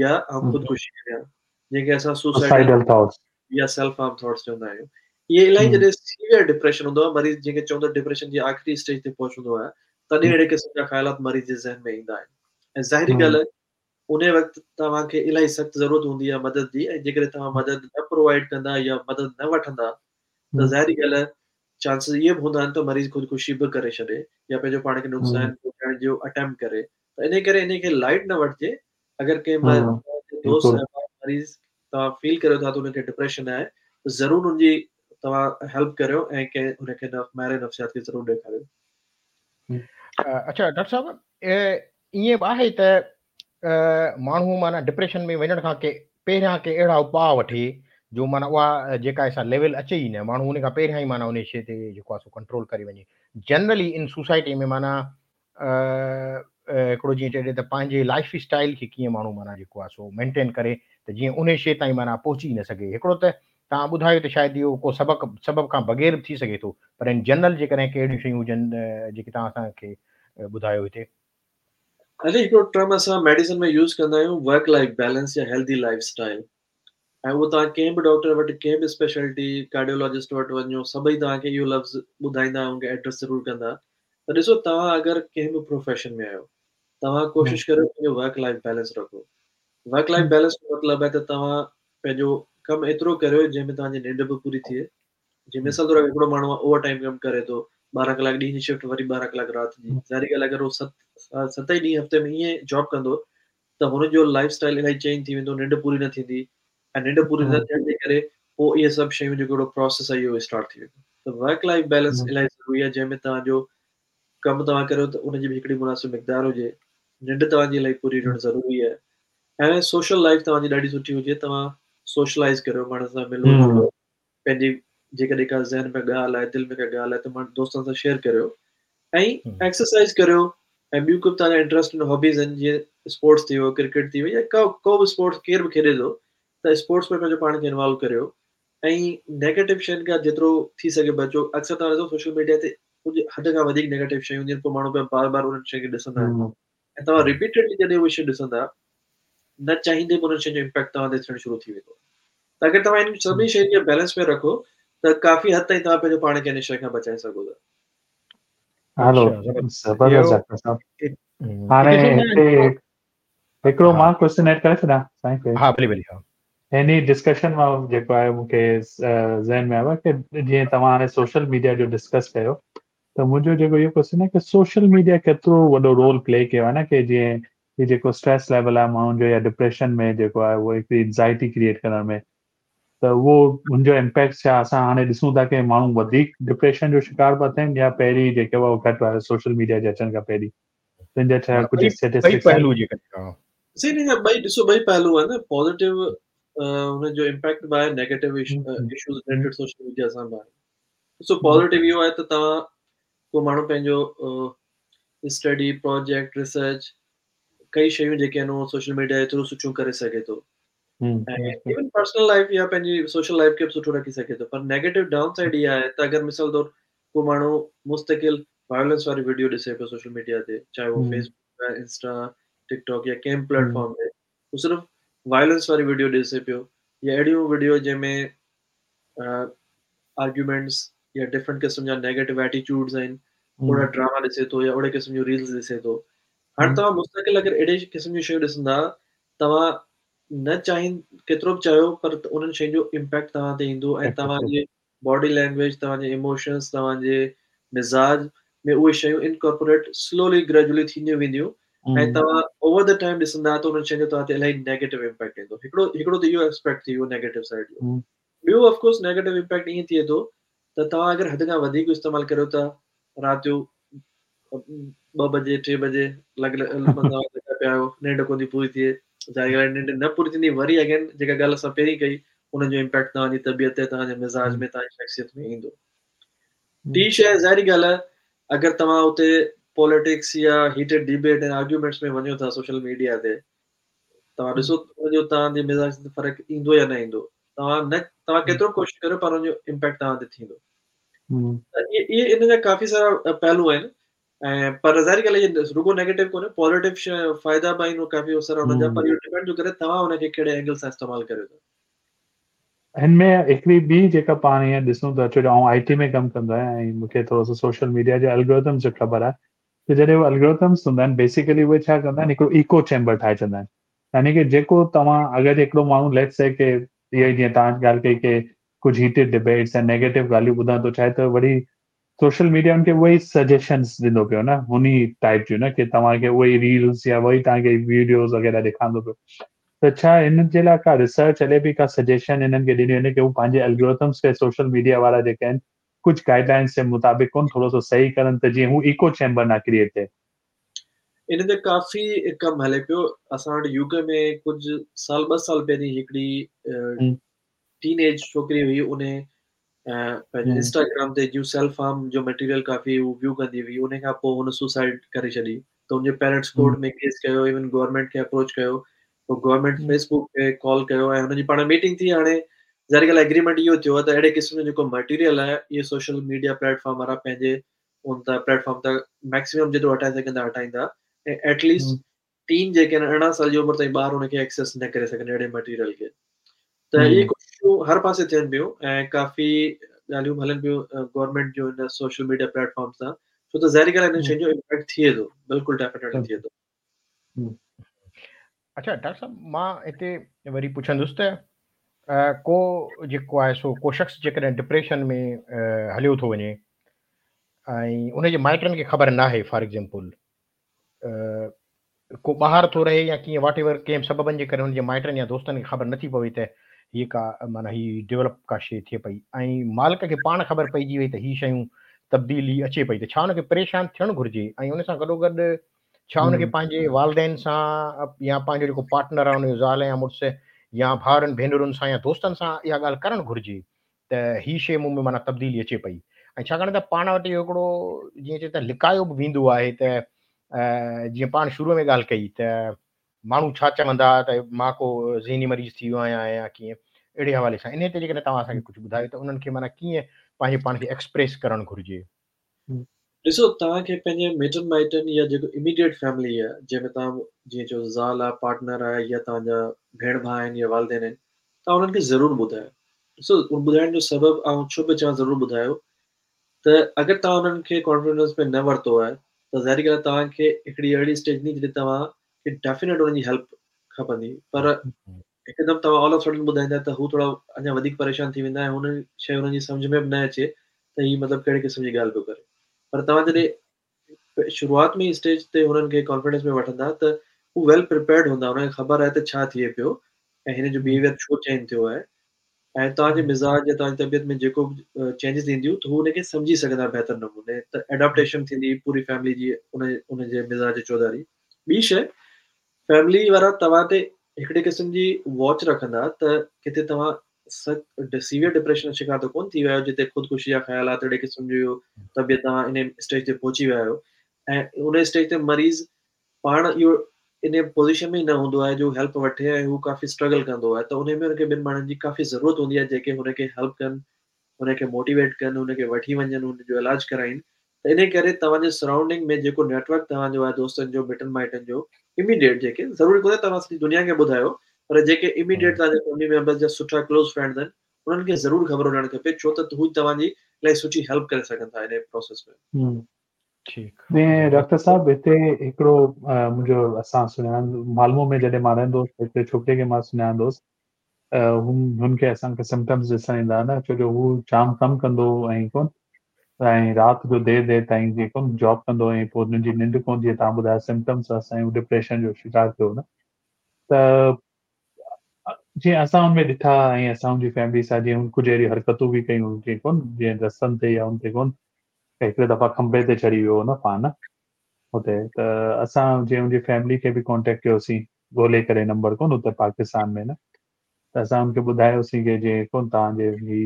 Speaker 2: يا آئون خودڪشي ڪريان جنهن کي اسان سوسائيڊل ٿاٽس يا سيلف هارم ٿاٽس چوندا آهيون. اهي الاهي جڏهن سيويئر ڊپريشن هوندو آهي مريض جنهن کي چوندا ڊپريشن جي آخري اسٽيج تي پهچندو آهي تڏهن اهڙي قسم جا خيالات مريض جي ذهن ۾ ايندا آهن ۽ ظاهري ڳالهه انهي وقت توهان کي الاهي سخت ضرورت هوندي آهي مدد جي ۽ جيڪڏهن توهان مدد نه پرووائيڊ ڪندا يا مدد نه وٺندا ته ظاهري ڳالهه آهي چانسز اهي به هوندا آهن ته مريض خودڪشي به ڪري ڇڏي يا پنهنجو پاڻ کي نقصان پهچائڻ جو اٽيمپٽ ڪري ته انهي ڪري انهي کي لائيٽ نه وٺجي اگر ڪنهن دوست مريض توهان فيل ڪريو ٿا ته ان کي ڊپريشن آهي ته ضرور ان جي توهان هيلپ ڪريو ۽ ڪنهن ان کي ماهر نفسيات کي ضرور ڏيکاريو.
Speaker 1: اڇا ڊاڪٽر صاحب ائين به آهي ته ماڻهو معنيٰ ڊپريشن ۾ وڃڻ کان ڪي پهريان ڪي اهڙا اپاء وٺي جو معنيٰ اها جيڪا سا ليول اچي ئي نه ماڻهو ان کان پهريان ئي معنيٰ ان شيء تي جيڪو آهي سو ڪنٽرول ڪري وڃي جنرلي ان سوسائٽي ۾ معنيٰ هڪڙو جيئن چئجي ته پنهنجي لائف اسٽائل کي ڪيئن ماڻهو معنيٰ جيڪو آهي سو مينٽين ڪري ته جيئن ان شيء تائين معنيٰ پهچي ئي نه سگهي هڪڙو ته توهان ٻڌايو ته شايد اهو ڪو سبق سبب کان بغير به ٿي سگهي ٿو پر ان جنرل جيڪڏهن ڪي اهڙيون شيون هجن جيڪي توهان اسان کي ٻڌايو هتي.
Speaker 2: علي هڪڙو ٽرم اسان ميڊيسن ۾ يوز ڪندا آهيون ورڪ لائف بيلنس يا هيلدي لائف اسٽائل ۽ اهو توهان ڪنهن به ڊاڪٽر وٽ ڪنهن به اسپيشلٽي ڪارڊيولاجسٽ وٽ وڃو سڀئي توهان کي اهو لفظ ٻڌائيندا ان کي ايڊريس ضرور ڪندا ته ڏسو توهان اگر ڪنهن به پروفيشن ۾ آهيو توهان ڪوشش ڪريو پنهنجو ورڪ لائف بيلنس رکو ورڪ لائف بيلنس جو مطلب آهي ته توهان پنهنجو ڪم ايترو ڪريو جنهن ۾ توهان جي ننڊ به پوري ٿئي جي مثال طور هڪڙو ماڻهو اوور ٽائيم ڪم ڪري ٿو 12 ڪلاڪ ڏينهن جي شفٽ وري 12 ڪلاڪ رات جي ظاهري ڳالهه اگر هو ست ئي ڏينهن هفتي ۾ ائين جاب ڪندو ته هن جو لائف اسٽائل الاهي چينج ٿي ويندو ننڊ پوري نه ٿيندي ۽ ننڊ پوري نه ٿيڻ جي ڪري پوء اهي سڀ شيون جيڪو هڪڙو پروسيس آهي اهو اسٽارٽ ٿي ويندو ته ورڪ لائف بيلنس الاهي ضروري آهي جنهن ۾ توهان جو ڪم توهان ڪريو ته ان جي به هڪڙي مناسب مقدار هجي ننڊ توهان جي الاهي پوري هجڻ ضروري آهي ۽ سوشل لائف توهان جي ڏاڍي سٺي هجي توهان سوشلائز ڪريو ماڻهن سان ملو جلو پنهنجي جيڪڏهن ڪا ذهن ۾ ڳالهه آهي دل ۾ ڪا ڳالهه آهي ته ماڻهن دوستن سان شيئر ڪريو ۽ ايڪسرسائز ڪريو ۽ ٻيون ڪو به توهان جا انٽرسٽ آهن هابيز آهن جيئن اسپورٽس ٿي ويو ڪرڪيٽ ٿي وئي يا ڪو ڪو به اسپورٽس ڪير به کيڏي ٿو ته اسپورٽس ۾ پنهنجو پاڻ کي انوالو ڪريو ۽ نيگيٽو شين کان جيترو ٿي سگهي بچو اڪثر توهان ڏسو سوشل ميڊيا تي ڪجهه حد کان وڌيڪ نيگيٽو شيون هونديون آهن پوء ماڻهو پيا بار بار انهن شين کي ڏسندا آهن ۽ توهان رپيٽيڊلي جڏهن اهي شيون ڏسندا نه چاهيندي به انهن شين جو امپيڪٽ توهان تي ٿيڻ شروع ٿي ويندو ته اگر توهان انهن سڀني شين کي بيلنس ۾ رکو ته ڪافي حد تائين توهان پنهنجو پاڻ کي ان شيء کان بچائي سگهو ٿا.
Speaker 3: هلو زبردست ڊاڪٽر صاحب هاڻي هتي هڪڙو مان ڪوئسچن ايڊ ڪري ڇڏيان سائين کي.
Speaker 1: ها ڀلي ڀلي ها.
Speaker 3: هن ڊسڪشن مان جيڪو آهي مون کي ذهن ۾ آيو آهي ڪي جيئن توهان هاڻي سوشل ميڊيا جو ڊسڪس ڪيو ته منهنجو جيڪو اهو ڪوئسچن آهي ڪي سوشل ميڊيا ڪيترو وڏو رول پلي ڪيو آهي نه ڪي جيئن هي جيڪو اسٽريس ليول آهي ماڻهن جو يا ڊپريشن ۾ جيڪو آهي اهو هڪڙي انزائٽي ڪريئيٽ ڪرڻ ۾ ته اهو ان جو امپيڪٽ ڇا اسان هاڻي ڏسون ٿا ڪي ماڻهو وڌيڪ ڊپريشن جو شڪار پيا ٿين يا پهرين جيڪي هئا گهٽ هئا سوشل ميڊيا جي اچڻ کان پهرين تن جا ڇا ڪجهه اسٽيٽسٽڪس
Speaker 1: پهلو جيڪڏهن
Speaker 2: سي ان جا ٻئي ڏسو ٻئي پهلو آهن پازيٽو ان جو امپيڪٽ به آهي negative issues related social media سان به آهي ڏسو پازيٽو اهو آهي ته توهان ڪو ماڻهو پنهنجو اسٽڊي پروجيڪٽ ريسرچ ڪئي شيون جيڪي آهن اهو سوشل ميڊيا جي ٿرو سٺيون ڪري سگهي ٿو ۽ ايون پرسنل لائف يا پنهنجي سوشل لائف کي به سٺو رکي سگهي ٿو پر نيگيٽو ڊائون سائيڊ اها آهي ته اگر مثال طور ڪو ماڻهو مستقل وائلنس واري ويڊيو ڏسي پيو سوشل ميڊيا تي چاهي اهو فيس بڪ آهي انسٽا ٽڪ ٽاڪ يا ڪنهن به پليٽ فارم تي هو صرف وائلنس واري ويڊيو ڏسي پيو يا اهڙيون ويڊيو جنهن ۾ آرگيومينٽس يا ڊفرنٽ قسم جا نيگيٽو ايٽيٽيوڊز آهن اهڙا ڊراما ڏسي ٿو يا اهڙي قسم جون ريلز ڏسي ٿو هاڻي توهان مستقل اگر اهڙي قسم جون شيون ڏسندا توهان نه چاهين ڪيترو به چاهيو پر انهن شين جو امپيڪٽ توهان تي ايندو ۽ توهان جي باڊي لينگويج توهان جي ايموشنز توهان جي مزاج ۾ اهي شيون انڪارپوريٽ سلولي گريجولي ٿينديون وينديون ۽ توهان اوور the time ڏسندا ته انهن شين جو توهان تي الاهي نيگيٽو امپيڪٽ ايندو هڪڙو هڪڙو ته اهو اسپيڪٽ ٿي ويو نيگيٽو سائيڊ جو ٻيو آف ڪورس نيگيٽو امپيڪٽ ائين ٿئي ٿو ته توهان اگر حد کان وڌيڪ استعمال ڪريو ٿا رات جو 2 بجي 3 بجي لڳ لڳا پيا آهيو ننڊ ڪونه ٿي پوري ٿئي ظاهري ڳالهه آهي ننڊ نه پوري ٿيندي وري اگين جيڪا ڳالهه اسان پهرين ڪئي ان جو امپيڪٽ توهان جي طبيعت تي توهان جي مزاج ۾ توهان جي شخصيت ۾ ايندو ٽي شيء ظاهري ڳالهه آهي اگر توهان اتي پوليٽڪس يا هيٽيڊ ڊبيٽ ۽ آرگيومينٽس ۾ وڃو ٿا سوشل ميڊيا تي توهان ڏسو ان جو توهان جي مزاج تي فرق ايندو يا نه ايندو توهان نه توهان ڪيترو به ڪوشش ڪريو پر ان جو امپيڪٽ توهان تي ٿيندو ته اهي ان جا ڪافي سارا پهلو آهن ۽ پر ظاهري ڳالهه آهي رڳو نيگيٽو ڪونهي پازيٽو فائدا به آهن ڪافي سارا انهن جا پر اهو ڊپينڊ ٿو ڪري توهان ان کي ڪهڙي اينگل سان استعمال ڪريو ٿا.
Speaker 3: هن ۾ هڪڙي ٻي جيڪا پاڻ هيئن ڏسون ٿا ڇو جو آئون آئي ٽي ۾ ڪم ڪندو آهيان ۽ مون کي ٿورو سو سوشل ميڊيا جي الگورٿمز جو خبر آهي ته جڏهن اهي الگورٿمز هوندا آهن بيسيڪلي اهي ڇا ڪندا آهن هڪڙو ايڪو چيمبر ٺاهي ڇڏندا آهن يعني ڪي جيڪو توهان اگر هڪڙو ماڻهو ليٽس سي ڪي اهو ئي جيئن توهان ڳالهه ڪئي ڪي ڪجهه هيٽيڊ ڊبيٽس ۽ نيگيٽو ڳالهيون ٻڌڻ ٿو چاهي ته وري سوشل ميڊيا ان کي اهي ئي سجيشنز ڏيندو پيو نه هن ئي ٽائپ جون نه ڪي توهان کي اهي ئي ريلز يا اهي ئي توهان کي ويڊيوز وغيره ڏيکارندو پيو ته ڇا هن جي لاء ڪا ريسرچ هلي پئي ڪا سجيشن هنن کي ڏني وڃي ڪي هو پنهنجي الگورٿمز کي سوشل ميڊيا وارا جيڪي آهن ڪجهه گائيڊ لائنز جي مطابق ڪون ٿورو سو صحيح ڪرن ته جيئن هو ايڪو چيمبر نه ڪريئيٽ ٿئي.
Speaker 2: ان تي ڪافي ڪم هلي پيو اسان وٽ يو ڪي ۾ ڪجهه سال ٻه سال پهرين هڪڙي ٽين ايج ڇوڪري هئي ان پنهنجو انسٽاگرام تي جون سيلف هارم جو مٽيريل ڪافي هو ويو ڪندي هئي ان کان پوء هن سوسائيڊ ڪري ڇڏي ته ان جي پيرنٽس ڪورٽ ۾ ڪيس ڪيو ايون گورنمينٽ کي اپروچ ڪيو پوء گورنمينٽ فيس بڪ کي ڪال ڪيو ۽ هن جي پاڻ ميٽنگ ٿي هاڻي ظاهري ڳالهه ايگريمينٽ اهو ٿيو آهي ته اهڙي قسم جو جيڪو مٽيريل آهي اهو سوشل ميڊيا پليٽ فارم وارا پنهنجي ان تان پليٽ فارم تان ميڪسيمم جيترو هٽائي سگهندا هٽائيندا ۽ ايٽ ليسٽ ٽين جيڪي آهن 18 سال جي عمر تائين ٻار ان کي ايڪسيس نه ڪري سگهن اهڙي مٽيريل کي ته اهي ڪوششون هر پاسي ٿين پيون ۽ ڪافي ڳالهيون هلن پيون گورنمينٽ جو ان سوشل ميڊيا پليٽ فارم سان ڇو ته ظاهري ڳالهه انهن شين جو امپيڪٽ ٿئي ٿو بلڪل ڊيفينيٽلي ٿئي ٿو.
Speaker 1: اڇا ڊاڪٽر صاحب مان هتي وري پڇندس ته ڪو جيڪو آهي سو ڪو شخص جيڪڏهن ڊپريشن ۾ هليو ٿو وڃي ۽ ان جي مائٽن کي خبر ناهي فار ايگزامپل ڪو ٻاهر ٿو رهي يا ڪيئن واٽ ايور ڪنهن به سببن جي ڪري هن جي مائٽن يا دوستن کي خبر نٿي پوي ته هيء ڪا معنيٰ هي ڊولپ ڪا شيء ٿئي پئي ۽ مالڪ کي پاڻ خبر پئجي وئي ته هي شيون تبديلي اچي پئي ته ڇا ان کي پريشان ٿيڻ گهرجي ۽ ان سان گڏوگڏ ڇا ان کي پنهنجي والدين سان يا پنهنجو جيڪو پارٽنر آهي ان جو زال يا مڙس يا ڀائرن ڀينرن سان يا دوستن سان اها ڳالهه ڪرڻ گهرجي ته هي شيء مون ۾ معنيٰ تبديلي اچي پئي ۽ ڇاڪاڻ ته پاڻ وٽ اهو هڪڙو جيئن چئي ته لڪايو به ويندو آهي ته جيئن پاڻ شروع ۾ ڳالهه ڪئي ته ماڻهو ڇا چوندا ته مان ڪو ذهني مريض ٿي ويو آهيان يا ڪيئن اهڙي حوالي سان انهي تي جيڪڏهن توهان اسان کي ڪجهه ٻڌايو ته انهن کي معنيٰ ڪيئن پنهنجي پاڻ کي ايڪسپريس ڪرڻ گهرجي.
Speaker 2: ڏسو توهان کي پنهنجي مٽن مائٽن يا جيڪو اميڊيٽ فيملي آهي جنهن ۾ توهان جيئن چئو زال آهي پارٽنر آهي يا توهان جا ڀيڻ ڀاء آهن يا والدين آهن توهان انهن کي ضرور ٻڌايو ڏسو ٻڌائڻ جو سبب آئون ڇو پيو چوان ضرور ٻڌايو ته اگر توهان انهن کي ڪانفيڊنس ۾ نه ورتو آهي ته ظاهري ڳالهه توهان کي هڪڙي اهڙي اسٽيج ايندي جڏهن توهان کي ڊيفينيٽ انهن جي هيلپ کپندي پر هڪدم توهان آل آف سڊن ٻڌائيندا ته هو ٿورا اڃا وڌيڪ پريشان ٿي ويندا ۽ هن شيء هنن جي سمجهه ۾ به نه اچي ته هي مطلب ڪهڙي قسم جي ڳالهه پيو ڪري پر توهان جڏهن شروعات ۾ اسٽيج تي هنن کي ڪانفيڊنس ۾ وٺندا ته هو ويل پريپيئرڊ هوندا، انهن کي خبر آهي ته ڇا ٿئي پيو ۽ هن جو بيهيويئر ڇو چينج ٿيو آهي ۽ توهان جي مزاج يا توهان جي طبيعت ۾ جيڪو به چينجز اينديون ته هو ان کي سمجهي سگهندا بهتر نموني ته ايڊاپٽيشن ٿيندي پوري فيملي جي ان ان جي مزاج جي چوڌاري. ٻي شيء فيملي وارا توهان تي هڪڙي قسم جي واچ رکندا ته ڪٿي توهان سخت سيويئر ڊپريشن جو شڪار ته ڪونه ٿي ويا آهيو جتي خودڪشي جا خيالات اهڙي قسم جو طبيعت توهان ان اسٽيج تي پهچي ويا آهيو ۽ ان اسٽيج تي مريض پاڻ اهو ان پوزيشن ۾ ئي نه هوندو آهي جو هيلپ وٺي ۽ هو ڪافي اسٽرگل ڪندو آهي ته ان ۾ هن کي ٻن ماڻهن جي ڪافي ضرورت هوندي آهي جيڪي هن کي هيلپ ڪن، هن کي موٽيويٽ ڪن، هن کي وٺي وڃن، هن جو علاج ڪرائين ته ان ڪري توهان جي سرائونڊنگ ۾ جيڪو نيٽورڪ توهان جو آهي دوستن جو مٽن مائٽن جو اميڊيٽ جيڪي ضروري ڪونهي توهان سڄي دنيا کي ٻڌايو پر جيڪي اميڊيٽ توهان جي فيملي ميمبرز جا سٺا ڪلوز فرينڊز آهن انهن کي ضرور خبر هجڻ کپي ڇو ته هو توهان جي الاهي سٺي هيلپ ڪري سگهن ٿا ان پروسيس ۾.
Speaker 3: ٺيڪ. ڊاڪٽر صاحب هتي هڪڙو منهنجو اسان سڃاڻ مالمو ۾ جڏهن مان رهندو هوس هڪڙي ڇوڪري کي مان سڃاڻندو هوس هن کي اسان کي سمپٽمز ڏسڻ ايندا نه ڇو جو هو جام ڪم ڪندو هو ۽ ڪون ۽ رات جو دير دير تائين جيڪو جاب ڪندو ۽ پوء هن جي ننڊ ڪون جيئن توهان ٻڌايو سمپٽمز هئس ۽ هو ڊپريشن جو شڪار ٿيو نه ته جيئن اسان هن ۾ ڏٺا ۽ اسان هن جي فيملي سان جيئن هن ڪجهه اهڙيون حرڪتون به ڪيون جيئن ڪون جيئن رستن تي يا ان تي ڪون هڪڙي دفعا کنڀي تي چڙهي ويو هو نه پاڻ هتي ته اسان جيئن هن جي فيملي کي به ڪانٽيڪٽ ڪيوسين ڳولي ڪري نمبر ڪون هتي پاڪستان ۾ نه ته اسان هن کي ٻڌايوسين ڪي جيئن ڪون توهان جي هي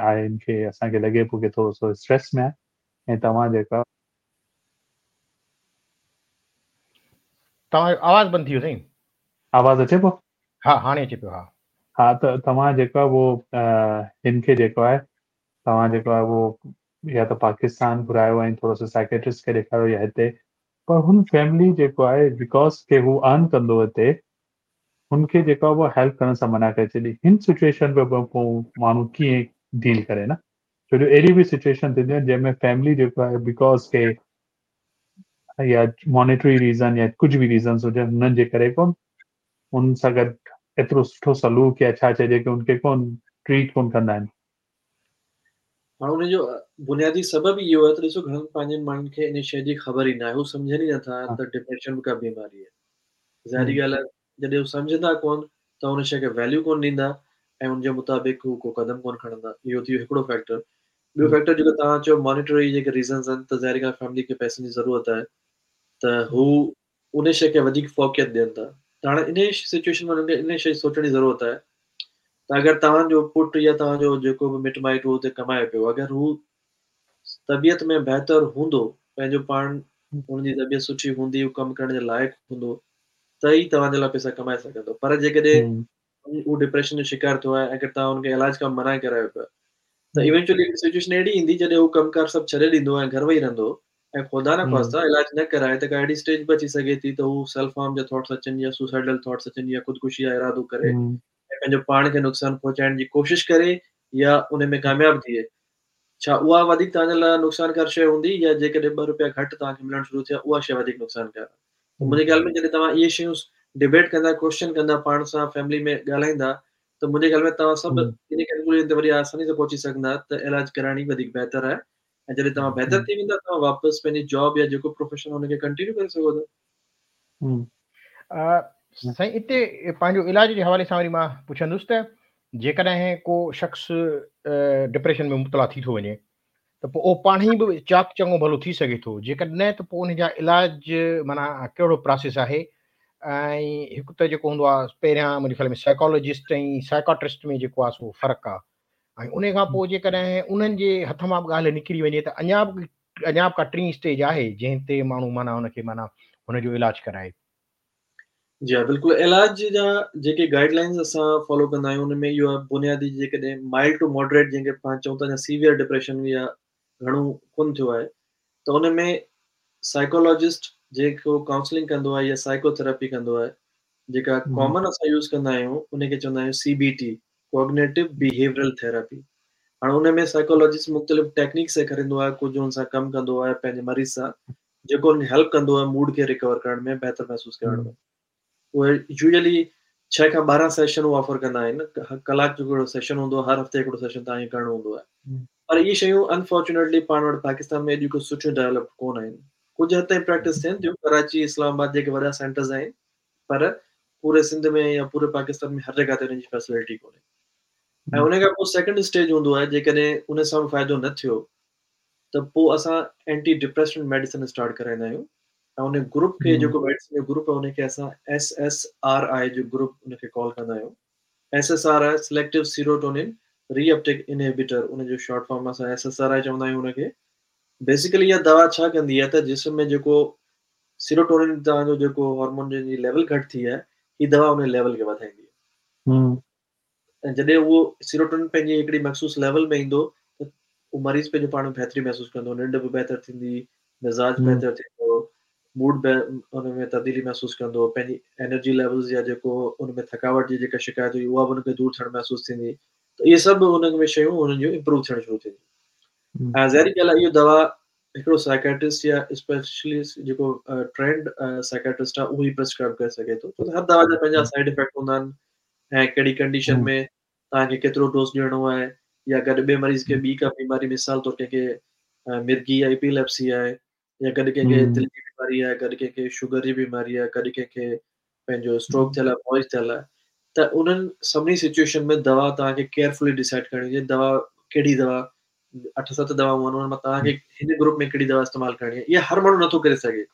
Speaker 3: آهي هن کي اسان کي لڳي پيو ڪي ٿورو سو اسٽريس ۾ آهي ۽ توهان جيڪا
Speaker 1: توهان جو آواز بند ٿي ويو سائين.
Speaker 3: آواز اچي پيو؟
Speaker 1: ها هاڻي اچي پيو ها.
Speaker 3: ها ته توهان جيڪو آهي اهو هن کي جيڪو آهي توهان جيڪو آهي اهو يا ته پاڪستان گهرايو ۽ ٿورو سو سائيڪيٽرسٽ کي ڏيکاريو يا هتي پر هن فيملي جيڪو آهي because ڪي هو ارن ڪندو هتي هن کي جيڪو آهي اهو هيلپ ڪرڻ سان منع ڪري ڇڏي هن سچويشن ۾ به پوء ماڻهو ڪيئن ڊيل ڪري نه ڇو جو اهڙي به سچويشن ٿينديون آهن جنهن ۾ فيملي جيڪو آهي because ڪي يا مانيٽري ريزن يا ڪجهه به ريزنس هجن هنن جي ڪري ڪون ان سان گڏ ايترو سٺو سلوڪ يا ڇا چئجي ڪي ان کي ڪون ٽريٽ ڪون ڪندا آهن.
Speaker 2: هاڻ ان جو بنيادي سبب ئي اهو آهي ته ڏسو گهڻن پنهنجن ماڻهن کي ان شيء جي خبر ئي ناهي هو سمجهن ئي نٿا ته ڊپريشن به ڪا بيماري آهي ظاهري ڳالهه آهي جڏهن هو سمجهندا ڪونه ته ان شيء کي ويليو ڪونه ڏيندا ۽ ان جي مطابق هو ڪو قدم ڪونه کڻندا. اهو ٿي ويو هڪڙو فيڪٽر. ٻيو فيڪٽر جيڪو توهان چيو مانيٽري جيڪي ريزنز آهن ته ظاهري ڳالهه فيملي کي پئسن جي ضرورت آهي ته هو ان شيء کي وڌيڪ فوقيت ڏين ٿا ته هاڻي انهي سچويشن ۾ انهن کي انهي شيء جي سوچڻ جي ضرورت آهي ته اگر توهان جو پٽ يا توهان جو جيڪو به مٽ مائٽ هو اتي ڪمائي پيو اگر هو طبيعت ۾ بهتر هوندو پنهنجو پاڻ هن جي طبيعت سٺي هوندي هو ڪم ڪرڻ جي لائق هوندو ته ئي توهان جي لاء پئسا ڪمائي سگهندو پر جيڪڏهن هو ڊپريشن جو شڪار ٿيو آهي اگر توهان هن کي علاج کان منع ڪرايو پيا ته ايونچولي هڪ سچويشن اهڙي ايندي جڏهن هو ڪم ڪار سڀ ڇڏي ڏيندو ۽ گهر ويهي رهندو ۽ خدا نه خواسته علاج نه ڪرائي ته ڪا اهڙي اسٽيج به اچي سگهي ٿي ته هو سيلف هارم جا ٿاٽس اچن يا سوسائيڊل ٿاٽس اچن يا خودڪشي جا ارادو ڪري ۽ پنهنجو پاڻ کي نقصان پهچائڻ جي ڪوشش ڪري يا ان ۾ ڪامياب ٿئي ڇا اها وڌيڪ توهان جي لاء نقصانڪار شيء هوندي يا جيڪڏهن ٻه روپيا گهٽ توهان کي ملڻ شروع ٿيا اها شيء وڌيڪ نقصانڪار آهي ته منهنجي خيال ۾ جڏهن توهان اهي شيون ڊبيٽ ڪندا ڪوئسچن ڪندا پاڻ سان فيملي ۾ ڳالهائيندا ته منهنجي خيال ۾ توهان سڀ ان ڪنڪلوزن تي وڏي آساني سان پهچي سگهندا ته علاج ڪرائڻ ئي وڌيڪ بهتر آهي ۽ جڏهن توهان بهتر ٿي ويندا توهان واپس پنهنجي جاب يا جيڪو پروفيشن ان کي ڪنٽينيو ڪري سگهو ٿا.
Speaker 1: سائين اتي پنهنجو علاج جي حوالي سان وري مان پڇندس ته جيڪڏهن ڪو شخص ڊپريشن ۾ مبتلا ٿي ٿو وڃي ته پوء اهو پاڻ ئي به چاق چڱو ڀلو ٿي سگهي ٿو جيڪڏهن نه ته پوء ان جا علاج معنيٰ ڪهڙو پراسيس آهي ۽ هڪ ته جيڪو هوندو آهي پهريان منهنجي خيال ۾ سائيڪالاجسٽ ۽ سائيڪاٽرسٽ ۾ جيڪو آهي سو فرق آهي ۽ ان کان پوء جيڪڏهن انهن جي هٿ مان به ڳالهه نڪري وڃي ته اڃا به اڃا به ڪا ٽين اسٽيج آهي جنهن تي ماڻهو معنيٰ ان کي معنيٰ هن جو علاج ڪرائي.
Speaker 2: جي ها بلڪل علاج جا جيڪي گائيڊ لائنز اسان فالو ڪندا آهيون ان ۾ اهو آهي بنيادي جيڪڏهن مائلڊ ٽو ماڊريٽ جنهن کي پاڻ چئون ٿا يا سيويئر ڊپريشن يا گهڻو ڪون ٿيو آهي ته ان ۾ سائيڪالاجسٽ جيڪو ڪائونسلنگ ڪندو آهي يا سائيڪو ٿراپي ڪندو آهي جيڪا ڪامن اسان يوز ڪندا آهيون ان کي چوندا آهيون C B T cognitive behavioural therapy هاڻي ان ۾ سائيڪالاجسٽ مختلف ٽيڪنيڪ سيکاريندو آهي ڪجهه ان سان ڪم ڪندو آهي پنهنجي مريض سان جيڪو ان کي هيلپ ڪندو آهي موڊ کي ريڪور ڪرڻ ۾ بهتر محسوس ڪرڻ ۾ اهي يوزلي 6 کان 12 سيشن هو آفر ڪندا آهن ڪلاڪ جو هڪڙو سيشن هوندو آهي هر هفتي هڪڙو سيشن توهان کي ڪرڻو هوندو آهي پر اهي شيون انفارچونيٽلي پاڻ وٽ پاڪستان ۾ ايڏيون ڪو سٺيون ڊيولپ ڪونه آهن ڪجهه حد تائين پريڪٽس ٿين ٿيون ڪراچي اسلام آباد جيڪي وڏا سينٽرز آهن پر پوري سنڌ ۾ يا پوري پاڪستان ۾ هر جڳهه تي ان جي فيسلٽي ڪونهي. ۽ ان کان پوء سيڪنڊ اسٽيج هوندو آهي جيڪڏهن ان سان به فائدو نه ٿيو ته پوء اسان اينٽي ڊپريسنٽ ميڊيسن اسٽارٽ ڪرائيندا آهيون ۽ ان گروپ کي جيڪو ميڊيسن جو گروپ آهي ان کي اسان ايس ايس آر I جو گروپ ان کي ڪال ڪندا آهيون. S S R I selective serotonin reuptake inhibitor ان جو شارٽ فارم اسان ايس ايس آر I چوندا آهيون ان کي. بيسيڪلي اها دوا ڇا ڪندي آهي ته جسم ۾ جيڪو سيروٽونن توهان جو جيڪو هارمون جنهن جي ليول گهٽ ٿي آهي هي دوا ان ليول کي وڌائيندي آهي. ۽ جڏهن اهو سيروٽونن پنهنجي هڪڙي مخصوص ليول ۾ ايندو ته اهو مريض پنهنجو پاڻ ۾ بهتري محسوس ڪندو، ننڊ به بهتر ٿيندي، مزاج بهتر ٿيندو، موڊ به ان ۾ تبديلي محسوس ڪندو، پنهنجي انرجي ليولز يا جيڪو ان ۾ ٿڪاوٽ جي جيڪا شڪايت هئي اها به ان کي دور ٿيڻ محسوس ٿيندي ته اهي سڀ ان ۾ شيون انهن جون امپروو ٿيڻ شروع ٿينديون. ۽ ظاهري ڳالهه آهي اهو دوا هڪڙو سائيڪيٽرسٽ يا اسپيشلسٽ جيڪو ٽرينڊ سائيڪيٽرسٽ آهي اهو ئي پرسڪرائب ڪري سگهي ٿو ڇو ته هر دوا جا پنهنجا سائيڊ افيڪٽ هوندا آهن ۽ ڪهڙي ڪنڊيشن ۾ توهان کي ڪيترو ڊوز ڏيڻو آهي يا گڏ ٻئي مريض کي ٻي ڪا بيماري مثال طور ڪنهن کي مرگي يا ايپيليپسي آهي يا گڏ ڪنهن کي دل جي بيماري آهي گڏ ڪنهن کي شگر جي بيماري آهي گڏ ڪنهن کي پنهنجو اسٽروڪ ٿيل آهي موئج ٿيل آهي ته انهن سڀني سچويشن ۾ دوا توهان کي ڪيئرفلي ڊسائيڊ ڪرڻي هجي دوا ڪهڙي دوا اٺ ست دوائون آهن انهن مان توهان کي هن گروپ ۾ ڪهڙي دوا استعمال ڪرڻي آهي اها هر ماڻهو نٿو ڪري سگهي